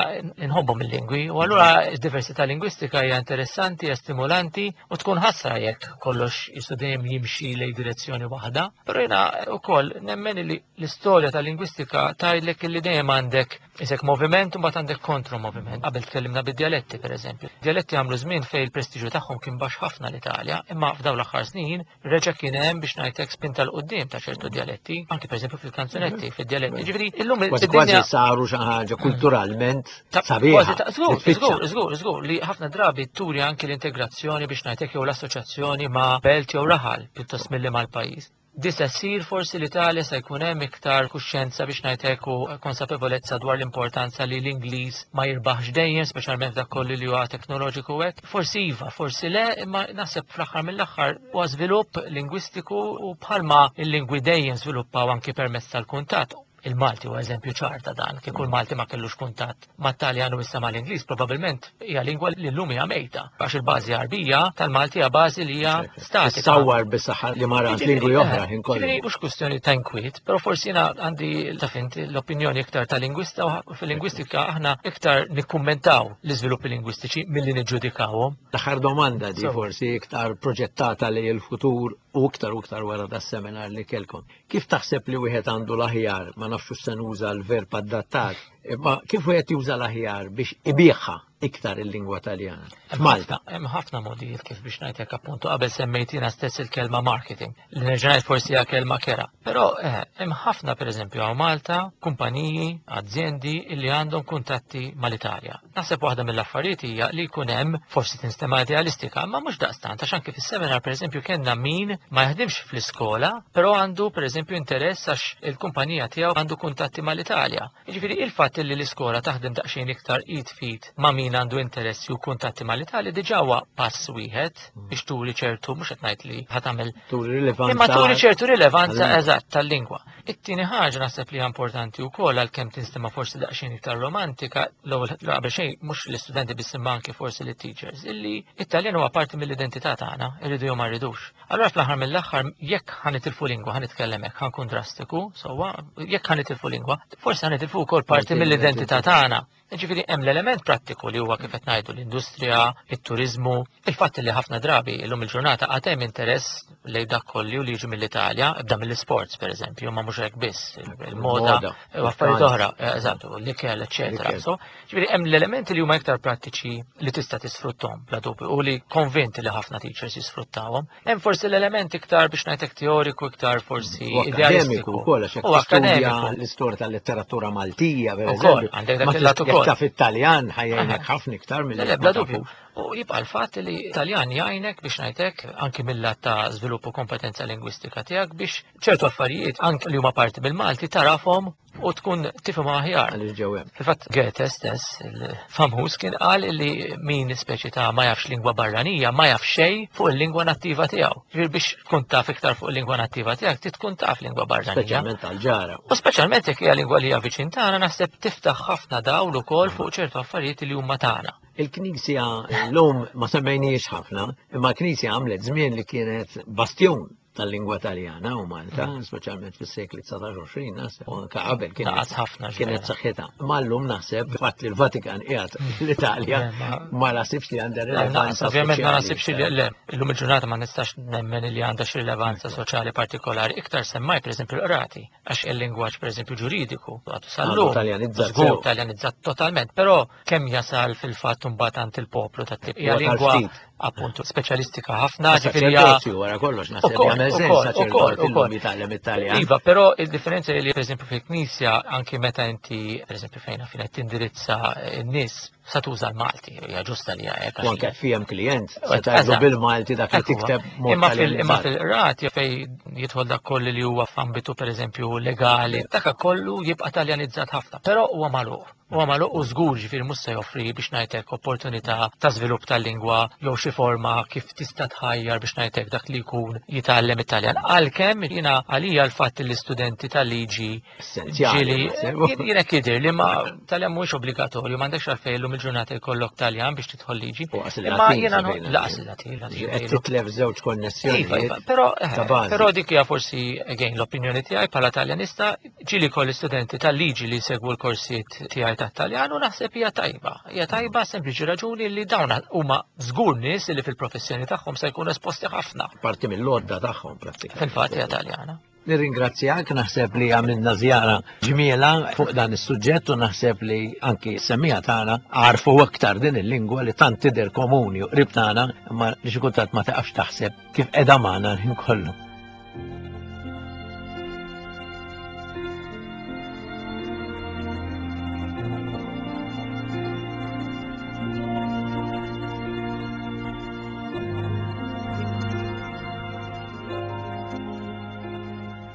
S3: nħobbhom il-lingwi u allura d-diversità lingwistika hija interessanti, hija stimolanti u tkun ħasra jekk kollox jisu dejjem jimxi lejn direzzjoni waħda. Però jiena wkoll nemmen li l-istorja tal-lingwistika tgħidlek li dejjem għandek isek moviment u mbagħad għandek kontro-moviment. Qabel tkellimna bid-dialetti pereżempju. Dialetti għamlu żmien fejn il-prestiġju tagħhom kien baxx ħafna l-Italja, imma f'dawn l-aħħar snin reġa' kien hemm, biex ngħidlek, spinta 'l quddiem ta' ċertu dialetti, anke pereżempju fil-kanzunetti, fid-dialetti. Ġifieri illum
S1: kważi kważi saru xi ħaġa kulturalment sabiħa.
S3: Żgur, żgur, żgur, żgur, li ħafna drabi turi anke l-integrazzjoni, biex ngħidlek, jew l-assoċjazzjoni ma' belt jew raħal pjuttost milli mal-pajjiż. Disa ssir forsi l-Italja se jkun hemm iktar kuxjenza, biex ngħidlek, u konsapevolezza dwar l-importanza li l-Ingliż ma jirbaħx dejjem, speċjalment dak kollu li huwa teknoloġiku hekk. Forsi iva, forsi le, imma naħseb fl-aħħar mill-aħħar huwa żvilupp lingwistiku u bħalma il-lingwi dejjem żviluppaw anki permezz tal-kuntatt. Il-Malti huwa eżempju ċar ta' dan, kieku l-Malti ma kellux kuntatt mat-Taljan u issa mal-Ingliż, probabbilment hija lingwa li llum hija mejta. Għax il-bażi Għarbija tal-Malti hija bażi li hija statika.
S1: Sawar bis-saħħa li marant lingwi oħra ħin kollu.
S3: Ġifieri mhux kwestjoni ta' inkwiet, però forsi jiena għandi, taf int, l-opinjoni iktar ta' lingwista u fil-lingwistika aħna iktar nikkummentaw l-iżviluppi lingwistiċi milli niġġudikawhom.
S1: L-aħħar domanda di forsi iktar proġettata li l-futur u iktar u iktar wara das seminar li kelkom. Kif taħseb li wieħed għandu l-aħjar, ma nafx se nuża l-verb adattat, Imma kif wieħed juża l-aħjar biex ibigħha iktar il-lingwa Taljana? F'Malta.
S3: Hemm ħafna modijiet kif biex ngħidlek appuntu qabel semmejtina stess il-kelma marketing, li nerġa' ngħid forsi hija kelma kera. Però eh, hemm ħafna pereżempju hawn Malta kumpaniji, azjendi li għandhom kuntatti mal-Italja. Naħseb waħda mill-affarijiet hija li jkun hemm forsi tinstema' idealistika, imma mhux daqstant għax anke fis-seminar pereżempju kellna min ma jaħdimx fl-iskola, però għandu pereżempju interess għax il-kumpanija tiegħu għandu kuntatti mal-Italja. Jiġifieri il-fatt li l-iskola taħdem daqsxejn iktar id fit ma' min għandu interessi u kuntatti mal-Italja diġà huwa pass wieħed biex turi ċertu, mhux qed ngħid li ħa tagħmel
S1: Turi rilevanza.
S3: Imma turi ċertu rilevanza
S1: tal-lingwa.
S3: eżatt tal-lingwa. It-tieni ħaġa naħseb li hija importanti wkoll għalkemm tinstema' forsi daqsxejn iktar romantika, l-ewwel qabel xejn mhux l-istudenti biss imma anke forsi l-teachers, illi it-Taljan huwa parti mill-identità tagħna, irridu jew ma rridux. Allura fl-aħħar mill-aħħar jekk ħa nitilfu lingwa, ħa nitkellem hekk, ħa nkun drastiku, sewwa, jekk ħa nitilfu lingwa, forsi ħa nitilfu wkoll parti
S1: Parti
S3: mill-identità
S1: mill-identità.
S3: tagħna. Ġifieri hemm l-element prattiku li huwa kif qed ngħidu l-industrija, it-turizmu, il-fatt li ħafna drabi illum il-ġurnata għad hemm interess lejn dak kollu li jiġi mill-Italja, ibda mill-isports pereżempju, ma mhux hekk biss, il-moda
S1: Il-moda,
S3: u affarijiet
S1: il-pranz.
S3: oħra, eżattu, l-ikel, eċċetera.
S1: L-ikel.
S3: So, ġifieri hemm l-elementi li huma iktar prattiċi li tista' tisfrutthom bla dubju u li konvinti li ħafna teachers jisfruttawhom. Hemm forsi l-element iktar biex ngħidlek teoriku, iktar forsi
S1: U akkademiku
S3: idealistiku.
S1: wkoll għax jekk
S3: U
S1: tistudja
S3: akkademiku.
S1: l-istorja tal-letteratura Maltija, per
S3: Ukoll,
S1: eżempju,
S3: għandek dak
S1: ma
S3: il-lat
S1: tista'
S3: ukoll.
S1: jekk taf it-Taljan ħa jgħinek
S3: Aha.
S1: ħafna iktar milli
S3: Le, le,
S1: jekk
S3: bla
S1: ma
S3: dubju.
S1: tafux.
S3: U jibqa' l-fatt li Taljan jgħinek biex ngħidlek anki mill-lat ta' żvilupp u kompetenza lingwistika tiegħek biex ċertu affarijiet anki li huma parti mill-Malti tarafhom u tkun tifhim aħjar.
S1: Għaliex ġew hemm.
S3: Fil-fatt Goethe stess, il-famuż, kien qal li min speċi ta' ma jafx lingwa barranija, ma jaf xejn fuq il-lingwa nattiva tiegħu. Ġifieri biex tkun taf iktar fuq il-lingwa nattiva tiegħek, trid tkun taf lingwa barranija.
S1: Speċjalment tal-ġara.
S3: U speċjalment jekk hija lingwa li hija viċin tagħna, naħseb tiftaħ ħafna dawl ukoll fuq ċertu affarijiet li huma tagħna.
S1: Il-Knisja l-lum ma semmejniex ħafna, imma l-Knisja għamlet żmien li kienet bastjon tal-lingwa Taljana u Malta, speċjalment fis-sekli dsatax u għoxrin, naħseb, u anke qabel kienet
S3: Naqas ħafna
S1: kienet
S3: ġvera.
S1: saħħitha. Ma llum naħseb fatt li l-Vatikan qiegħed l-Italja
S3: Le, ma-
S1: ma naħsibx li għandha
S3: Le,
S1: rilevanza
S3: Ovvjament ma
S1: soċjali
S3: naħsibx li le, illum il-ġurnata ma nistax nemmen li għandha xi rilevanza soċjali partikolari, iktar semmaj pereżempju l-qrati, għax il-lingwaġġ pereżempju ġuridiku għadu sal-lum.
S1: Għadu taljanizzat
S3: Żgur
S1: sew.
S3: taljanizzat totalment, però kemm jasal fil-fatt imbagħad għand il-poplu tat-tip. Hija
S1: Huwa
S3: lingwa
S1: tal-ftit.
S3: appuntu speċjalistika ħafna, ġifieri hija
S1: Saċerdozju wara kollox naħseb
S3: Ukoll,
S1: jagħmel sens
S3: ukoll,
S1: saċerdot
S3: ukoll,
S1: illum
S3: ukoll.
S1: jitgħallem it-Taljan.
S3: Iva, però il-differenza li pereżempju fil-Knisja anki meta inti pereżempju fejn fejn qed tindirizza n-nies sa tuża l-Malti, hija ġusta li hija hekk.
S1: U anke fihem klient, se
S3: Eżatt.
S1: tgħidlu bil-Malti dak li
S3: Hekk huwa.
S1: tikteb mod
S3: Imma fil- imma
S1: taljanizzat.
S3: fil-qrati fej jidħol dak kollu li huwa f'ambitu pereżempju legali, dak kollu jibqa' taljanizzat ħafna, però huwa magħluq. Huwa magħluq u żgur ġifieri mhux se joffri biex ngħidlek opportunità ta' żvilupp tal-lingwa jew xi forma kif tista' tħajjar biex ngħidlek dak li jkun jitgħallem it-Taljan. Għalkemm jiena għalija l-fatt li l-istudenti tal-liġi
S1: Essenzjali,
S3: ġieli
S1: naħseb.
S3: jien- jiena jidher li ma Taljan mhuwiex obbligatorju, m'għandekx għalfejn illum il-ġurnata jkollok Taljan biex tidħol liġi.
S1: U qas
S3: Imma
S1: il-Latin
S3: jiena
S1: sa fejn
S3: laqas il-Latin, il-Latin
S1: Qed
S3: ngħidu.
S1: titlef żewġ
S3: Iva,
S1: konnessjonijiet
S3: iva, però, eh,
S1: ta' bażi.
S3: però dik hija forsi again l-opinjoni tiegħi bħala Taljanista, ġieli kolli studenti tal-liġi li segwu l-korsijiet tiegħi tat-Taljan u naħseb hija tajba. Hija tajba sempliċi raġuni li dawn huma żgur nies li fil-professjoni tagħhom se jkunu esposti ħafna.
S1: Parti mill-lodda tagħhom prattikament.
S3: Fil-fatt hija Taljana.
S1: Nirringrazzjak, naħseb li għamilna żjara ġmiela fuq dan is-suġġett u naħseb li anki semmiegħa tagħna għarfu aktar din il-lingwa li tant tidher komuni u qrib tagħna, imma li xi kultant ma taqafx taħseb kif qiegħda magħna l-ħin kollu.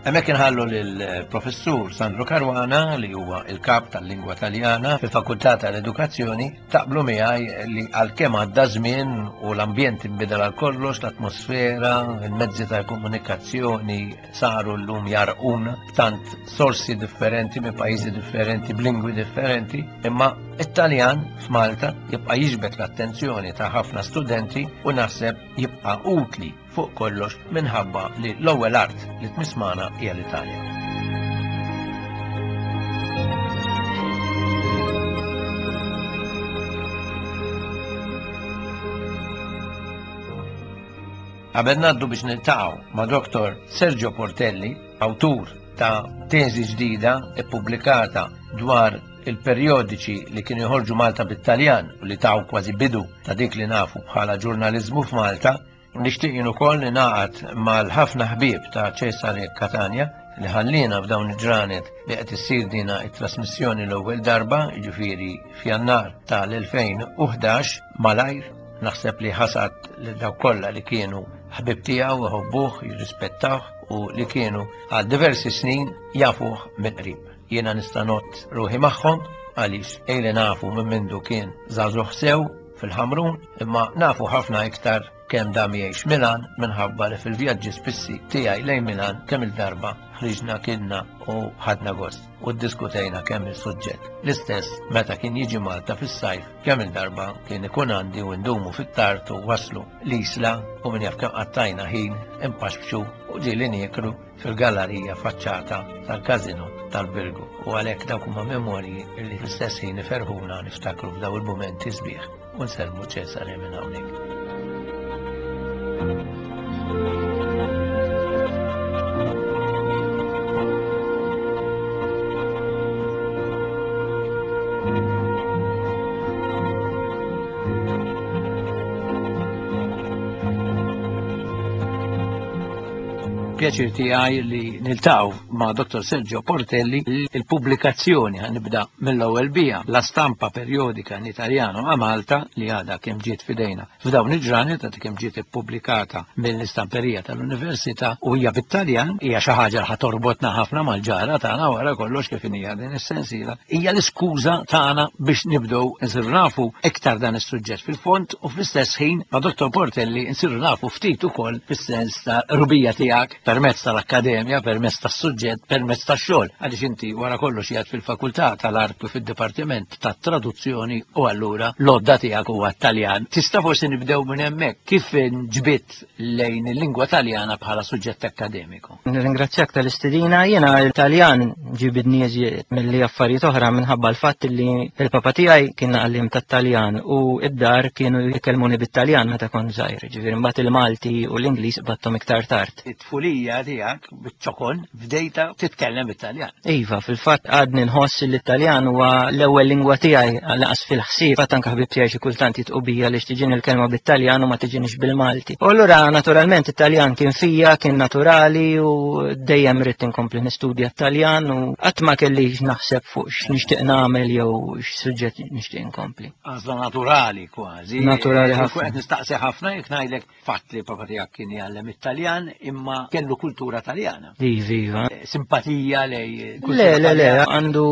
S1: Hemmhekk inħallu lill-professur Sandro Caruana li huwa il-kap tal-lingwa Taljana fil-Fakultà tal-Edukazzjoni taqblu miegħi li għalkemm għadda żmien u l-ambjent inbidel għal kollox, l-atmosfera, il-mezzi tal-komunikazzjoni saru llum jarquna b'tant sorsi differenti minn pajjiżi differenti, b'lingwi differenti, imma it-Taljan f'Malta jibqa' jiġbed l-attenzjoni ta' ħafna studenti u naħseb jibqa' utli fuq kollox minħabba li l-ewwel art li tmiss magħna hija l-Italja. Qabel ngħaddu biex niltaqgħu ma' Doktor Sergio Portelli, awtur ta' teżi ġdida ippubblikata dwar il-perjodiċi li kienu joħorġu Malta bit-Taljan u li taw kważi bidu ta' dik li nafu bħala ġurnaliżmu f'Malta. Nixtieq jien ukoll ningħaqad mal-ħafna ħbieb ta' Cesare Catania li ħallina f'dawn il-ġranet li qed issir dina it-trasmissjoni l-ewwel darba, jiġifieri f'Jannar tal-elfejn u ħdax, malajr naħseb li ħasad lil dawk kollha li kienu ħbib tiegħu, iħobbuh, jirrispettawh u li kienu għal diversi snin jafuh mill-qrib. Jiena nista' nott ruħi magħhom għaliex ejli nafu minn mindu kien żagħżugħ sew fil-Ħamrun, imma nafu ħafna iktar kemm dam jgħix Milan minħabba li fil-vjaġġi spissi tiegħi lejn Milan kemm il-darba ħriġna kilna u ħadna gost u ddiskutejna kemm il-suġġett. L-istess meta kien jiġi Malta fis-sajf kemm il-darba kien ikun għandi u ndumu fit-tard u waslu l-isla u min jaf kemm qattajna ħin impaxxu u ġieli nieklu fil-gallerija faċċata tal-Kazino tal-Birgu. U għalhekk dawk huma memorji li fl-istess ħin iferħuna niftakru f'daw il-mumenti sbieħ u nsellmu Cesare minn hawnhekk. Pjaċir tiegħi li niltaqgħu ma' Dottor Sergio Portelli. Il-pubblikazzjoni ħanibda mill-ewwel bija, La Stampa Periodica in Italiano a Malta, li għadha kemm ġiet f'idejna f'dawn il-ġranet, għadha kemm ġiet ippubblikata mill-istamperija tal-Università u hija bit-Taljan, hija xi ħaġa li ħatorbotna ħafna mal-ġara tagħna wara kollox kif hija din is-sensiela. Hija l-iskuża tagħna biex nibdew insiru nafu iktar dan is-suġġett fil-fond u fl-istess ħin ma' Dottor Portelli nsiru nafu ftit ukoll fis-sens ta' rubija tiegħek permezz tal-akkademja, permezz tas-suġġett, permezz tax-xogħol. Għaliex inti wara kollox qiegħed fil-fakultà tal-art u fid-dipartiment tat-traduzzjoni u allura l-għodda tiegħek huwa Taljan. Tista' forsi nibdew minn hemmhekk kif ġbitt lejn il-lingwa Taljana bħala suġġett akkademiku.
S4: Nirringrazzjak tal-istedina. Jiena l-Taljan ġibidni eżiet milli affarijiet oħra minħabba l-fatt li il-papa tiegħi kien għallim tat-Taljan u id-dar kienu jkellmuni bit-Taljan meta kont żgħir. Ġifieri mbagħad il-Malti u l-Ingliż battom iktar tard.
S1: It-tfulija tiegħek biċ-ċokon bdejta titkellem bit-Taljan.
S4: Iva, fil-fatt għadni nħoss li l-Taljan huwa l-ewwel lingwa tiegħi għal-aqas fil-ħsieb. Fatt anke ħbib tiegħi xi kultant jitqu bija li tiġini l-kelma bit-Taljan u ma tiġinix bil-Malti. U allura naturalment it-Taljan kien fija, kien naturali u dejjem ridt inkompli nistudja t-Taljan u qatt ma kellix naħseb fuq x'nixtieq nagħmel jew x'suġġett nixtieq inkompli.
S1: Għażla naturali kważi.
S4: Naturali ħafna.
S1: Qed nistaqsi ħafna jekk ngħidlek fatt li papa tiegħek kien jgħallem it-Taljan imma kellu kultura Taljana.
S4: Iva, iva.
S1: Simpatija lej kultura
S4: Le, le, le,
S1: Taljana.
S4: għandu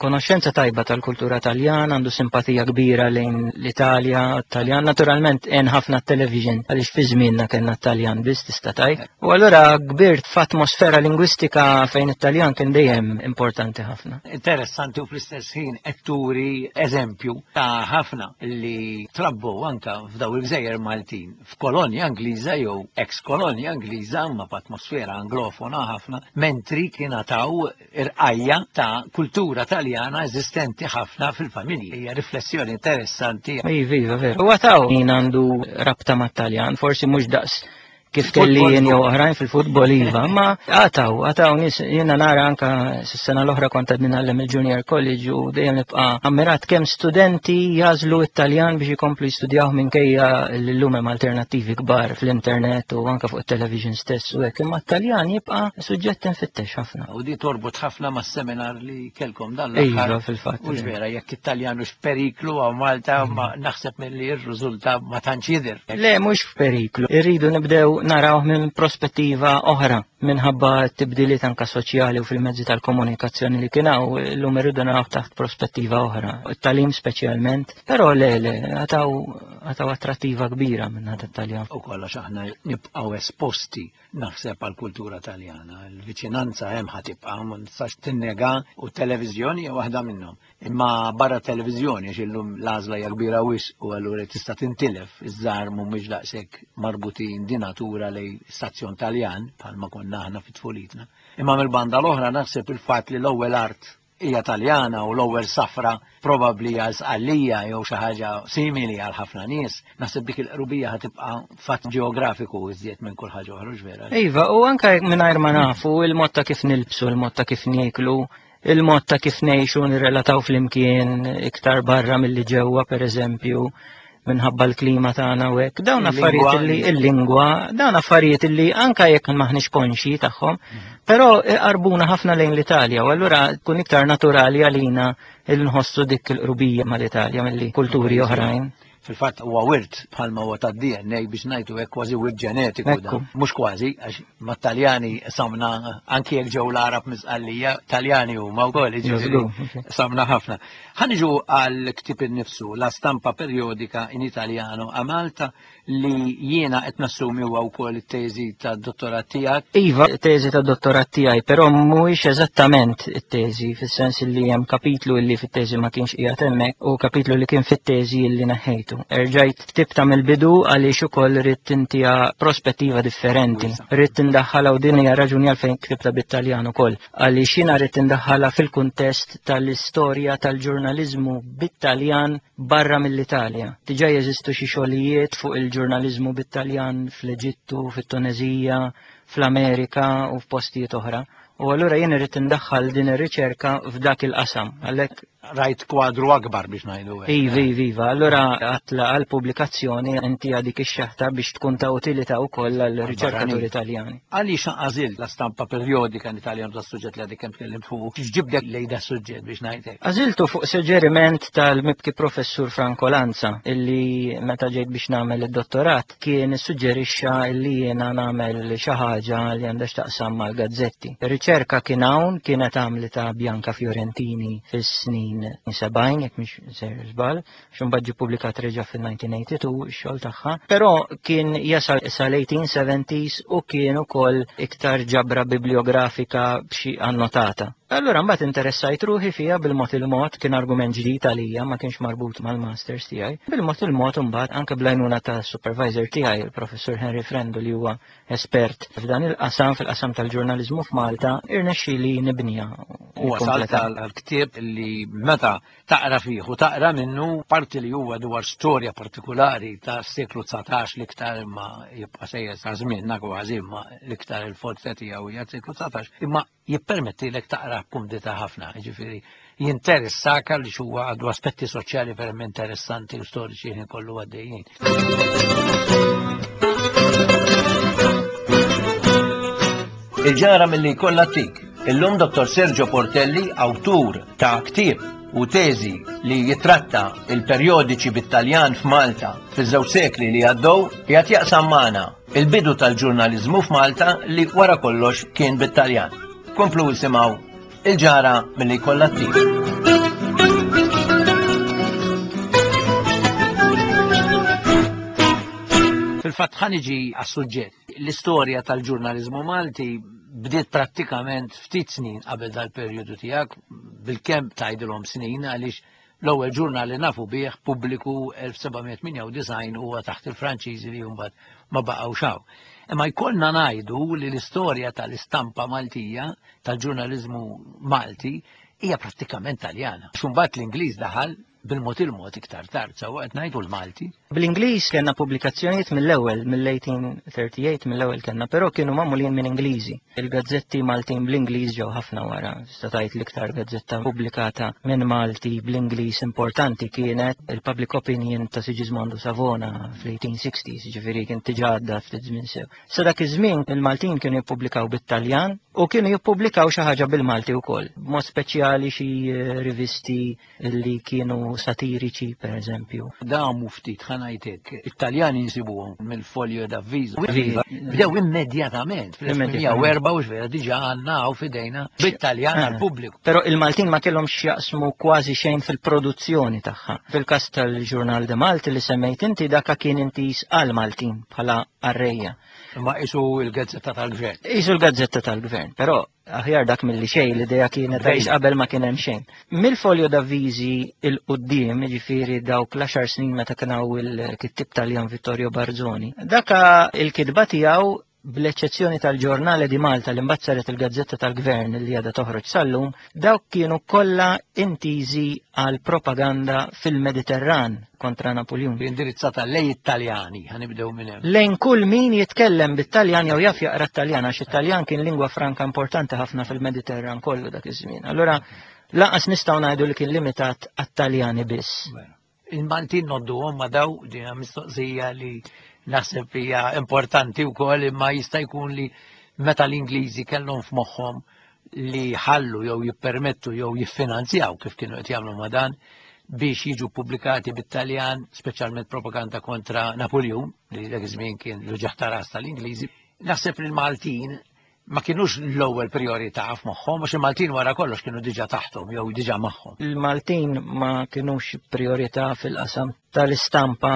S4: konoxxenza tajba tal-kultura Taljana, għandu simpatija kbira lejn l-Italja, Taljan. Naturalment hemm ħafna television għaliex fi żmienna kellna Taljan biss tista' tgħid. U allura kbirt f'atmosfera lingwistika fejn it-Taljan kien dejjem importanti ħafna.
S1: Interessanti u fl-istess ħin qed turi eżempju ta' ħafna li trabbu anka f'daw il-gżejjer Maltin f'kolonja Ingliża jew ex-kolonja Ingliża ma f'atmosfera anglofona ħafna, mentri kien taw irqajja ta' kultura Taljana eżistenti ħafna fil-familji. Hija riflessjoni interessanti.
S4: Iva, iva, veru. U għataw min għandu rabta mat-Taljan, forsi mhux daqs kif kelli jien jew oħrajn fil-futbol, iva, ma għataw, għataw nies, jiena nara anka s-sena l-oħra kont għadni ngħallem il-Junior College u dejjem nibqa' ammirat kemm studenti jażlu it-Taljan biex ikomplu jistudjaw minkejja l-lum hemm alternattivi kbar fl-internet u anka fuq it-television stess u hekk, imma t-Taljan jibqa' suġġett infittex ħafna.
S1: U di torbot ħafna mas-seminar li kelkom dan l-aħħar.
S4: Iva, fil-fatt.
S1: Mhux vera, jekk it-Taljan hux f'periklu għaw Malta, ma naħseb milli r-riżultat ma tantx jidher.
S4: Le, mhux f'periklu. Irridu nibdew naraw minn prospettiva oħra minħabba t-tibdiliet anka soċjali u fil-mezzi tal-komunikazzjoni li kien hawn, illum irridu naraw taħt prospettiva oħra, it-talim speċjalment, però le, le, għataw, għataw attrattiva kbira minn ħadd it-Taljan.
S1: U kollox aħna nibqgħu esposti naħseb għall-kultura Taljana, il-viċinanza hemm ħa tibqa', ma nistax tinnega, u t-televiżjoni hija waħda minnhom. Imma barra televiżjoni, għax illum l-għażla hija kbira wisq u allura tista' tintilef, iż-żgħar mhumiex daqshekk marbutin di natura lej stazzjon Taljan bħalma konna aħna fit-tfulitna. Imma mill-banda l-oħra naħseb il-fatt li l-ewwel art hija Taljana u l-ewwel safra probabbli għal Sqallija jew xi ħaġa simili għal ħafna nies, naħseb dik il-qrubija ħatibqa' fatt ġeografiku iżjed minn kull ħaġa oħra, vera.
S4: Iva, u anke mingħajr ma nafu il-mod ta' kif nilbsu, il-mod ta' kif nieklu, Il-mod ta' kif ngħixu nirrelataw flimkien iktar barra milli ġewwa, pereżempju, minħabba l-klima tagħna u hekk. Dawn affarijiet li il-lingwa, dawn affarijiet li anka jekk maħniex konxji tagħhom, però qarbuna ħafna lejn l-Italja u allura tkun iktar naturali għalina il nħossu dik il-qrubija mal-Italja milli kulturi oħrajn.
S1: Fil-fatt huwa wirt bħalma huwa tad-D N A biex ngħidu hekk kważi wirt ġenetiku dan. Mhux kważi, għax mat-Taljani samna anki jekk ġew l-Arab miżqallija, Taljani huma wkoll, jiġifieri samna ħafna. Ħa niġu għal ktieb innifsu, La Stampa Periodica in Italiano a Malta, li jiena qed nassumi huwa wkoll it-teżi tad-dottorat tiegħek.
S4: Iva, it-teżi tad-dottorat tiegħi, però mhuwiex eżattament it-teżi, fis-sens li hemm kapitlu li fit-teżi ma kienx qiegħed hemmhekk u kapitlu li kien fit-teżi li neħħejtu. Erġajt ktibta mill-bidu għaliex ukoll rrid tintiha prospettiva differenti. Rrid tindaħħalha u din hija raġuni għalfejn ktibta bit-Taljan ukoll, għaliex jiena rrid tindaħħalha fil-kuntest tal-istorja tal-ġurnaliżmu bit-Taljan barra mill-Italja. Diġà jeżistu xi xogħlijiet fuq il-ġurnaliżmu bit-Taljan fl-Eġittu, fit-Tunezija, fl-Amerika u f'postijiet oħra. U allura jien irrid indaħħal din ir-riċerka f'dak il-qasam. Għalhekk
S1: rajt kwadru akbar biex ngħidu hekk.
S4: Iva, iva, iva. Allura għatla għall-pubblikazzjoni inti dik ix-xeħta biex tkun ta' utilità wkoll għall-riċerkaturi Taljani.
S1: Għaliex għażilt la stampa periodika in Italjan da suġġett li għadek kemm tkellimt fuq, x'ġibdek lejn da suġġett biex ngħidlek?
S4: Għażiltu fuq suġġeriment tal-mibki professur Franco Lanza, illi meta ġejt biex nagħmel id-dottorat kien issuġġerixxa illi jiena nagħmel xi ħaġa li għandha x'taqsam mal-gazzetti. Ir-riċerka kien hawn, kienet għamlita Bianca Fiorentini fis-snin sebgħin, jekk mhix ser żball, x'imbagħad ġie ppubblikat reġa' fil-nineteen eighty-two ix-xogħol tagħha, però kien jasal sal-eighteen seventies u kien ukoll iktar ġabra bibliografika b'xi annotata. Allura mbagħad interessajt ruħi fiha bil-mod il-mod, kien argument ġdid għalija, ma kienx marbut mal-masters tiegħi. Bil-mod il-mod imbagħad anke bl-għajnuna ta' supervisor tiegħi, il-professur Henry Frendo, li huwa espert f'dan il-qasam, fil-qasam tal-ġurnaliżmu f'Malta, irnexxieli nibniha.
S1: U wasalt għal-ktieb li meta taqra fih u taqra minnu parti li huwa dwar storja partikolari ta' seklu dsatax l-iktar imma jibqa' sejjer sa' żmienna kważi, imma l-iktar il-forza tiegħu hija seklu dsatax, imma jippermettilek taqra b'kumdità ħafna, jiġifieri jinteressaka li huwa għandu aspetti soċjali verament interessanti u storiċi ħin kollu għaddejjin. Il-ġara milli jkollha tik. Illum Dottor Sergio Portelli, awtur ta' ktieb u teżi li jitratta il-perjodiċi bit-Taljan f'Malta fiż-żewġ sekli li għaddew, qiegħed jaqsam magħna il-bidu tal-ġurnaliżmu f'Malta li wara kollox kien bit-Taljan. Komplu isimgħu il-ġara milli jkollha tik. Fil-fatt ħa niġi għas-suġġett. L-istorja tal-ġurnaliżmu Malti bdiet prattikament ftit snin qabel dal-perjodu tiegħek, bilkemm tgħidilhom snin, għaliex l-ewwel ġurnal li nafu bih pubbliku elf seba' mija tmienja u disgħin huwa taħt il-Franċiżi li mbagħad ma baqgħux hawn. Imma jkollna ngħidu li l-istorja tal-istampa Maltija, tal-ġurnaliżmu Malti, hija prattikament Taljana. X'imbagħad l-Ingliż daħal bil-mod il-mod iktar tard, sewwa qed ngħidu l-Malti.
S4: Bl-Ingliż kellna pubblikazzjonijiet mill-ewwel, mill-eighteen thirty-eight, mill-ewwel kellna, però kienu magħmulin minn Ingliżi. Il-gazzetti Maltin bl-Ingliż ġew ħafna wara. Tista' tgħid l-iktar gazzetta pubblikata minn Malti bl-Ingliż importanti kienet il-Public Opinion ta' Sigismondo Savona fl-eighteen sixties, jiġifieri kien diġà għadda ftit żmien sew. Sa dak iż-żmien il-Maltin kienu jippubblikaw bit-Taljan u kienu jippubblikaw xi ħaġa bil-Malti wkoll, b'mod speċjali xi rivisti li kienu satiriċi, per eżempju.
S1: Damu ftit, ħa ngħidlek, it-Taljani nsibuhom mill-Foglio d'Avviso.
S4: Viva.
S1: Bdew immedjatament, fl-elf u erba' u xvera, diġà għandna hawn f'idejna bit-Taljan
S4: Ah.
S1: għall-pubbliku.
S4: Però il-Maltin ma kellhomx jaqsmu kważi xejn fil-produzzjoni tagħha. Fil-każ tal-Ġurnal de Malti li semmejt inti, daka kien intis għal-Maltin bħala qarrejja.
S1: Imma qisu l-gazzetta tal-gvern.
S4: Qisu l-gazzetta tal-gvern, però aħjar dak milli xejn, l-idea kienet
S1: Bejn.
S4: għaliex qabel ma kien hemm xejn. Mill-Foglio d'Avvisi il-qudiem, jiġifieri dawk l-għaxar snin meta kien hawn il-kittib Taljan Vittorio Barzoni, daka il-kitba tiegħu bl-eċċezzjoni tal-Ġurnale di Malta li mbagħad saret il-Gazzetta tal-Gvern li għadha toħroġ sal-lum, dawk kienu kollha intiżi għal propaganda fil-Mediterran kontra Napoleon.
S1: Indirizzata lejn it-Taljani, ħa nibdew minn hemm.
S4: Lejn kull min jitkellem bit-Taljan jew jaf jaqra t-Taljan, għax it-Taljan kien lingwa franka importanti ħafna fil-Mediterran kollu dak iż-żmien. Allura lanqas nistgħu ngħidu li kien limitat għat-Taljani biss.
S1: Il-Maltin ngħodduhom ma' daw, din mistoqsija li naħseb hija importanti wkoll, imma jista' jkun li meta l-Ingliżi kellhom f'moħħhom li ħallu jew jippermettu jew jiffinanzjaw kif kienu qed jagħmlu ma' dan biex jiġu pubblikati bit-Taljan, speċjalment propaganda kontra Napoleon, li dak iż-żmien kien l-uġigħ ta' ras tal-Ingliżi. Naħseb li l-Maltin ma kienux l-ewwel priorità f'moħħhom, għax il-Maltin wara kollox kienu diġà taħthom jew diġà magħhom.
S4: Il-Maltin ma kienux priorità fil-qasam tal-istampa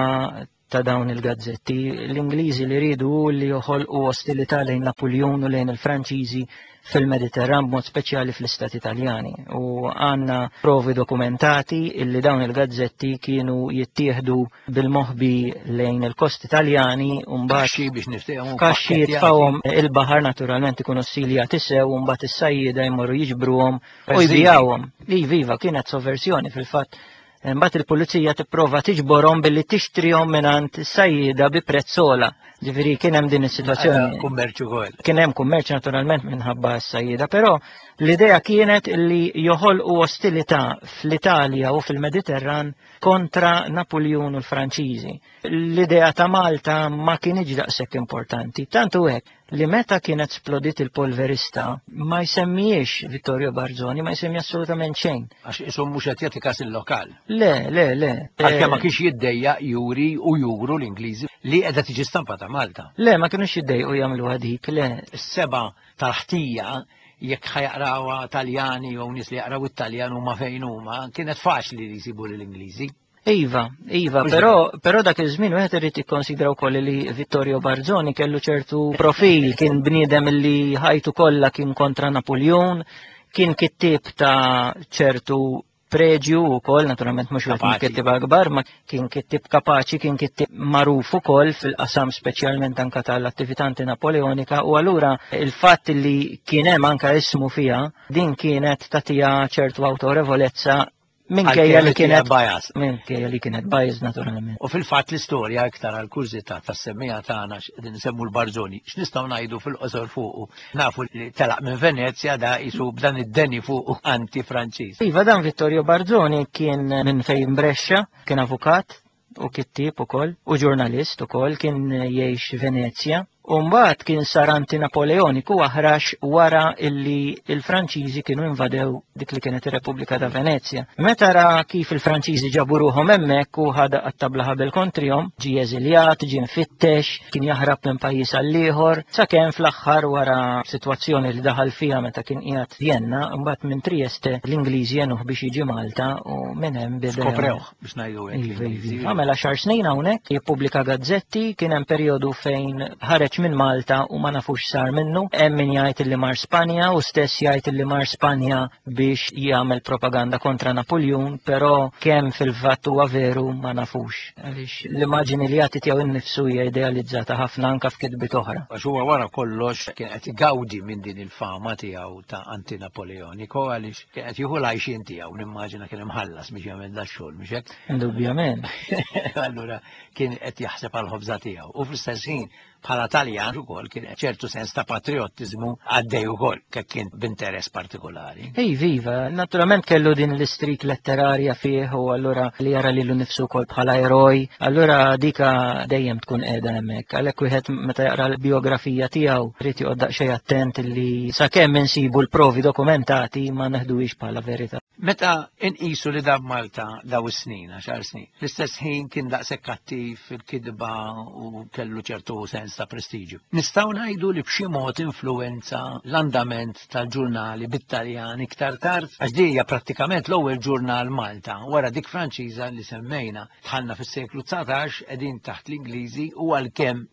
S4: ta' dawn il-gazzetti. L-Ingliżi li ridu li joħolqu ostilità lejn Napoleon u lejn il-Franċiżi fil-Mediterran, b'mod speċjali fl-Istati Italjani. U għandna provi dokumentati illi dawn il-gazzetti kienu jittieħdu bil-moħbi lejn il-kosti Italjani u mbagħad
S1: Kaxxi biex niftehmu.
S4: Kaxxi jitfawhom il-baħar, naturalment ikunu ssiljati sew, u mbagħad is-sajjieda jmorru jiġbruhom u jbigħuhom. Iva, iva, kienet sovversjoni fil-fatt. Mbagħad il-pulizija tipprova tiġborhom billi tixtrihom mingħand is-sajjieda bi prezz ogħla. Ġifieri kien hemm din is-sitwazzjoni.
S1: Kummerċ ukoll.
S4: Kien hemm kummerċ naturalment minħabba s-sajjieda, però l-idea kienet li joħolqu ostilità fl-Italja u fil-Mediterran kontra Napoleon u l-Franċiżi. L-idea ta' Malta ma kienx daqshekk importanti, tantu hekk li meta kienet splodit il-polverista ma jsemmijiex Vittorio Barzoni, ma jsemmi assolutament xejn.
S1: Għax isom mhux qed jagħti kas il-lokal.
S4: Le, le, le.
S1: Għalkemm ma kienx jiddejjaq juri u juru l-Ingliżi li qiegħda tiġi stampata Malta.
S4: Le, ma kienux jiddejqu jagħmlu dik, le.
S1: Is-seba tal-ħtija jekk ħa jaqrawha Taljani jew nies li jaqraw it-Taljan huma fejn huma, kienet faċli li jsibu lill-Ingliżi.
S4: Iva, iva, però, però dak iż-żmien wieħed irid jikkonsidra wkoll li Vittorio Barzoni kellu ċertu profil, kien bniedem li ħajtu kollha kien kontra Napoleon, kien kittieb ta' ċertu preġju wkoll, naturalment mhux wieħed mill-kittieb akbar, ma kien kittieb kapaċi, kien kittieb magħruf ukoll fil-qasam speċjalment anka tal-attività antinapoleonika, u allura il-fatt li kien hemm anka ismu fiha, din kienet tagħtiha ċertu awtorevolezza minkejja li kienet
S1: bias.
S4: Minkejja li kienet bias naturalment.
S1: U fil-fatt l-istorja iktar għal kurżità tas-semmija tagħna x'qegħdin nsemmu l-Barzoni, x'nistgħu ngħidu fil-qosor fuqu? Nafu li telaq minn Venezja da jisu b'dan id-deni fuqu anti-Franċiż.
S4: Iva, dan Vittorio Barzoni kien minn fejn Brescia, kien avukat u kittieb ukoll u ġurnalist ukoll, kien jgħix Venezja. U mbagħad kien sar anti-Napoleoniku aħrax wara illi il-Franċiżi kienu invadew dik li kienet ir-Repubblika ta' Venezja. Meta ra kif il-Franċiżi ġabu ruħhom hemmhekk u ħada għat-tabla ħabel kontrihom, ġie eżiljat, ġie mfittex, kien jaħrab minn pajjiż għal ieħor, sakemm fl-aħħar wara sitwazzjoni li daħal fiha meta kien qiegħed Vienna, mbagħad minn Trieste l-Ingliżi għenuh biex jiġi Malta u minn hemm beda.
S1: Skoprewh biex ngħidu hekk.
S4: Iva, iva. Għamel għaxar snin hawnhekk, jippubblika gazzetti, kien hemm perjodu fejn ħareġ minn Malta u ma nafux sar minnu. Hemm min jgħid li mar Spanja u stess jgħid li mar Spanja biex jagħmel propaganda kontra Napoleon, però kemm fil-fatt huwa veru ma nafux. Għaliex l-immaġini li jagħti tiegħu innifsu hija idealizzata ħafna anke f'kitbiet oħra.
S1: Għax huwa wara kollox kien qed igawdi minn din il-fama tiegħu ta' anti-Napoleonico, għaliex kien qed jieħu l-għajxien tiegħu, nimmaġina kien imħallas biex jagħmel dax-xogħol, mhux hekk?
S4: Indubjament.
S1: Allura kien qed jaħseb għall-ħobża tiegħu. U fl-istess ħin bħala Taljan ukoll kien ċertu sens ta' patriottiżmu għaddej ukoll, kek kien b'interess partikolari.
S4: Ej, viva, naturalment kellu din l-istrik letterarja fih u allura li jara lilu nnifsu wkoll bħala eroj, allura dika dejjem tkun qiegħda hemmhekk. Għalhekk wieħed meta jaqra l-biografija tiegħu irid joqgħod daqsxejn attent li sakemm insibu l-provi dokumentati ma neħduhiex bħala verità.
S1: Meta inqisu li dam Malta daw is-snin, għaxar snin, l-istess ħin kien daqshekk kattiv fil-kidba u kellu ċertu sens ta' prestiġju. Nistgħu ngħidu li b'xi mod influenza l-andament tal-ġurnali bit-Taljan iktar tard, għax di hija prattikament l-ewwel ġurnal Malta wara dik Franċiża li semmejna. Dħalna fis-seklu dsatax, qegħdin taħt l-Ingliżi u għalkemm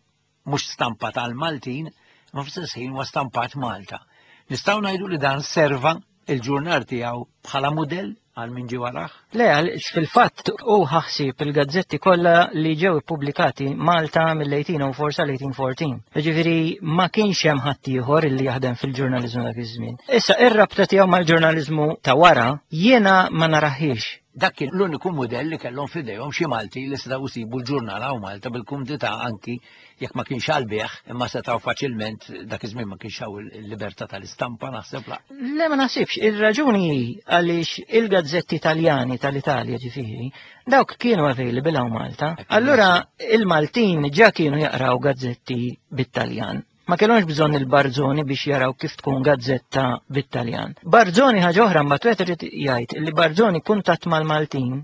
S1: mhux stampa tal-Maltin, ma fl-istess ħin huwa stampat Malta. Nistgħu ngħidu li dan serva il-ġurnal tiegħu bħala mudell?
S5: għal min ġie warah?
S4: Le, fil-fatt u ħaħsib il-gazzetti kollha li ġew ippubblikati Malta mill-eighteen oh four sal-eighteen fourteen. Ġifieri ma kienx hemm ħadd ieħor illi jaħdem fil-ġurnaliżmu dak iż-żmien. Issa, ir-rabta tiegħu mal-ġurnaliżmu ta' wara jiena ma naraħiex.
S1: Dak kien l-uniku modell li kellhom f'idejhom xi Malti li setgħu jsibu l-ġurnal hawn Malta bil-kumdità, anki jekk ma kienx għall-bejgħ, imma setgħu faċilment. Dak iż-żmien ma kienx hawn il-libertà tal-istampa, naħseb, la.
S4: Le, ma naħsibx, ir-raġuni hi għaliex il-gazzetti Italjani tal-Italja, ġifieri, dawk kienu available hawn Malta. Allura il-Maltin ġa kienu jaqraw gazzetti bit-Taljan. Ma kellhomx bżonn il-Barzoni biex jaraw kif tkun gazzetta bit-Taljan. Barzoni, ħaġa oħra, mbagħad wieħed irid jgħid li Barzoni kuntatt mal-Maltin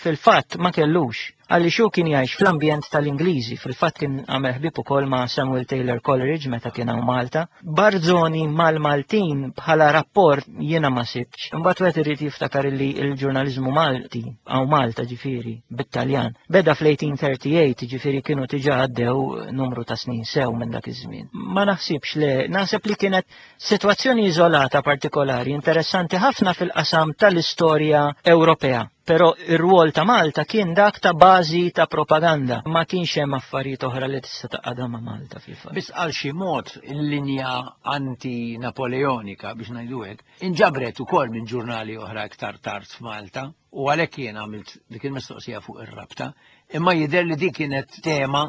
S4: fil-fatt ma kellux, għaliex hu kien jgħix fl-ambjent tal-Ingliżi. Fil-fatt kien għamel ħbib ukoll ma' Samuel Taylor Coleridge meta kien hawn Malta. Barzoni mal-Maltin bħala rapport jiena ma sibx. Imbagħad wieħed irid jiftakar li l-ġurnaliżmu Malti hawn Malta, ġifieri bit-Taljan, beda fl-eighteen thirty-eight, ġifieri kienu diġà għaddew numru ta' snin sew minn dak iż-żmien. Ma naħsibx, le, naħseb li kienet sitwazzjoni iżolata partikolari, interessanti ħafna fil-qasam tal-istorja Ewropea. Però ir-rwol ta' Malta kien dak ta' bażi ta' propaganda. Ma kienx hemm affarijiet oħra li tista' taqgħadha ma' Malta fil-fatt.
S1: Biss għal xi mod il-linja anti-napoleonika, biex ngħidu hekk, inġabret ukoll minn ġurnali oħra iktar tard f'Malta u għalhekk jien għamilt dik il-mistoqsija fuq ir-rabta. Imma jidher li dik kienet tema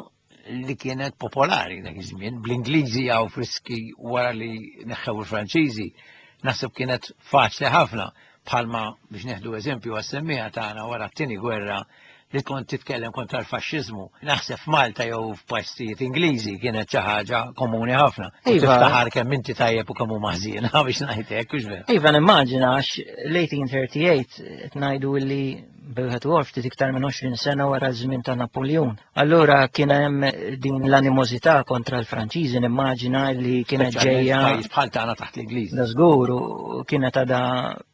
S1: li kienet popolari dak iż-żmien, bl-Ingliżi jew friski wara li neħħew il-Franċiżi, naħseb kienet faċli ħafna, bħalma, biex neħdu eżempju għas-semmiegħa tagħna, wara t-tieni gwerra li kont titkellem kontra l-faxxiżmu. Naħseb f'Malta jew f'postijiet Ingliżi kienet xi ħaġa komuni ħafna. U
S4: Iva.
S1: tiftaħar kemm inti tajjeb u kemm huma ħżiena, biex ngħid hekk, hux vera?
S4: Iva, nimmaġina, għax l-eighteen thirty-eight qed ngħidu li bejħet u ftit iktar minn għoxrin sena wara ż-żmien ta' Napoleon. Allura kien hemm din l-animożità kontra l-Franċiżi, nimmaġina li kienet ġejja
S1: Pajjiż bħal tagħna taħt l-Ingliżi.
S4: Da żgur, u kienet għada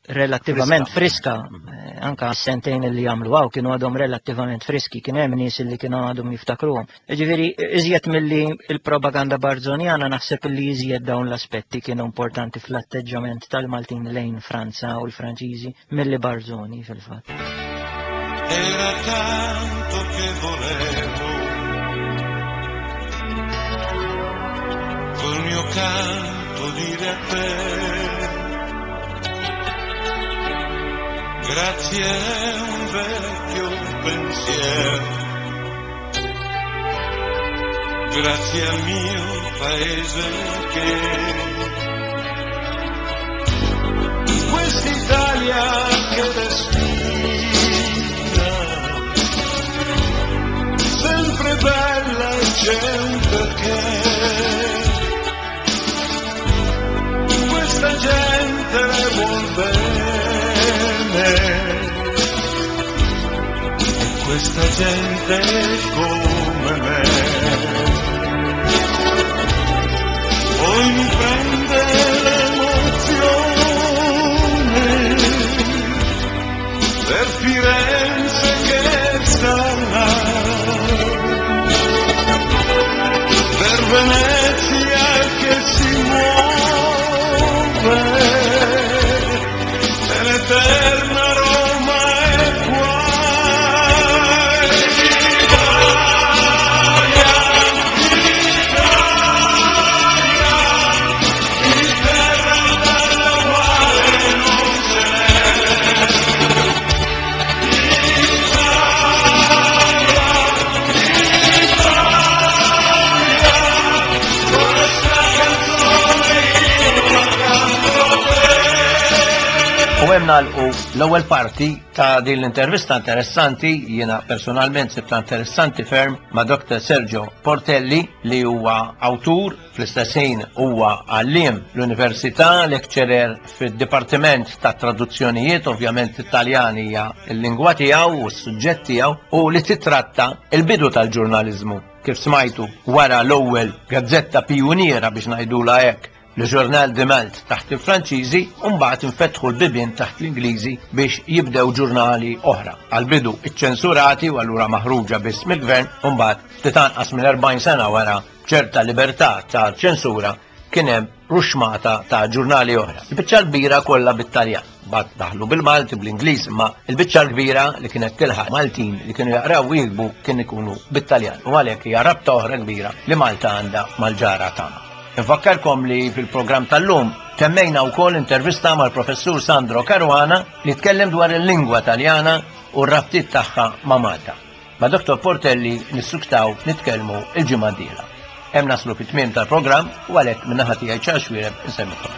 S4: relattivament friska. Eh, Anka s-sentejn li jagħmlu hawn kienu għadhom relattivament friski, kien hemm nies li kienu għadhom jiftakruhom. Ġifieri, iżjed milli il-propaganda barzonjana, naħseb li iżjed dawn l-aspetti kienu importanti fl-atteġġament tal-Maltin lejn Franza u l-Franċiżi milli Barzoni fil-fatt.
S6: Era tanto che volevo col mio canto dire a te grazie a un vecchio pensiero, grazie al mio paese che quest'Italia che respira sempre bella e c'è un perché questa gente le vuol bene e questa gente come me. Poi mi prende l'emozione per Firenze che sta là, per Venezia che si muove, per l'eterna Roma è qua. Italia, Italia, di terra bella uguale non ce n'è. Italia, Italia, questa canzone io la canto a te.
S1: U hemm nagħlqu l-ewwel parti ta' din l-intervista interessanti, jiena personalment sibta interessanti ferm, ma' Doctor Sergio Portelli, li huwa awtur, fl-istess ħin huwa għalliem l-Università, lecturer fid-Dipartiment ta' Traduzzjonijiet, ovvjament Italjan hija l-lingwa tiegħu u s-suġġett tiegħu, u li titratta il-bidu tal-ġurnaliżmu. Kif smajtu, wara l-ewwel gazzetta pijuniera, biex ngħidula hekk, Le Journal de Malte taħt il-Franċiżi, u mbagħad infetħu l-bibien taħt l-Ingliżi biex jibdew ġurnali oħra. Għal-bidu iċċensurati u allura maħruġa biss mill-gvern, u mbagħad ftit anqas minn erbgħin sena wara ċerta libertà ta' ċensura. kien hemm ruxmata ta' ġurnali oħra. Il-biċċa l-kbira kollha bit-Taljan. Mbagħad daħlu bil-Malti, bl-Ingliż, imma il-biċċa l-kbira li kienet tilħaq Maltin li kienu jaqraw u jiktbu kien ikunu bit-Taljan. U għalhekk hija rabta oħra kbira li Malta għandha mal-ġara tagħna. Infakkarkom li fil-programm tal-lum temmejna wkoll intervista mal-professur Sandro Caruana li tkellem dwar il-lingwa Taljana u r-rabtiet tagħha ma' Malta. Ma' Dottor Portelli nissuktaw nitkellmu il-ġimgħa d-dieħla. Hemm naslu fit-tmiem tal-programm u għalhekk min-naħa tiegħi Charles Xuereb insellmilkom.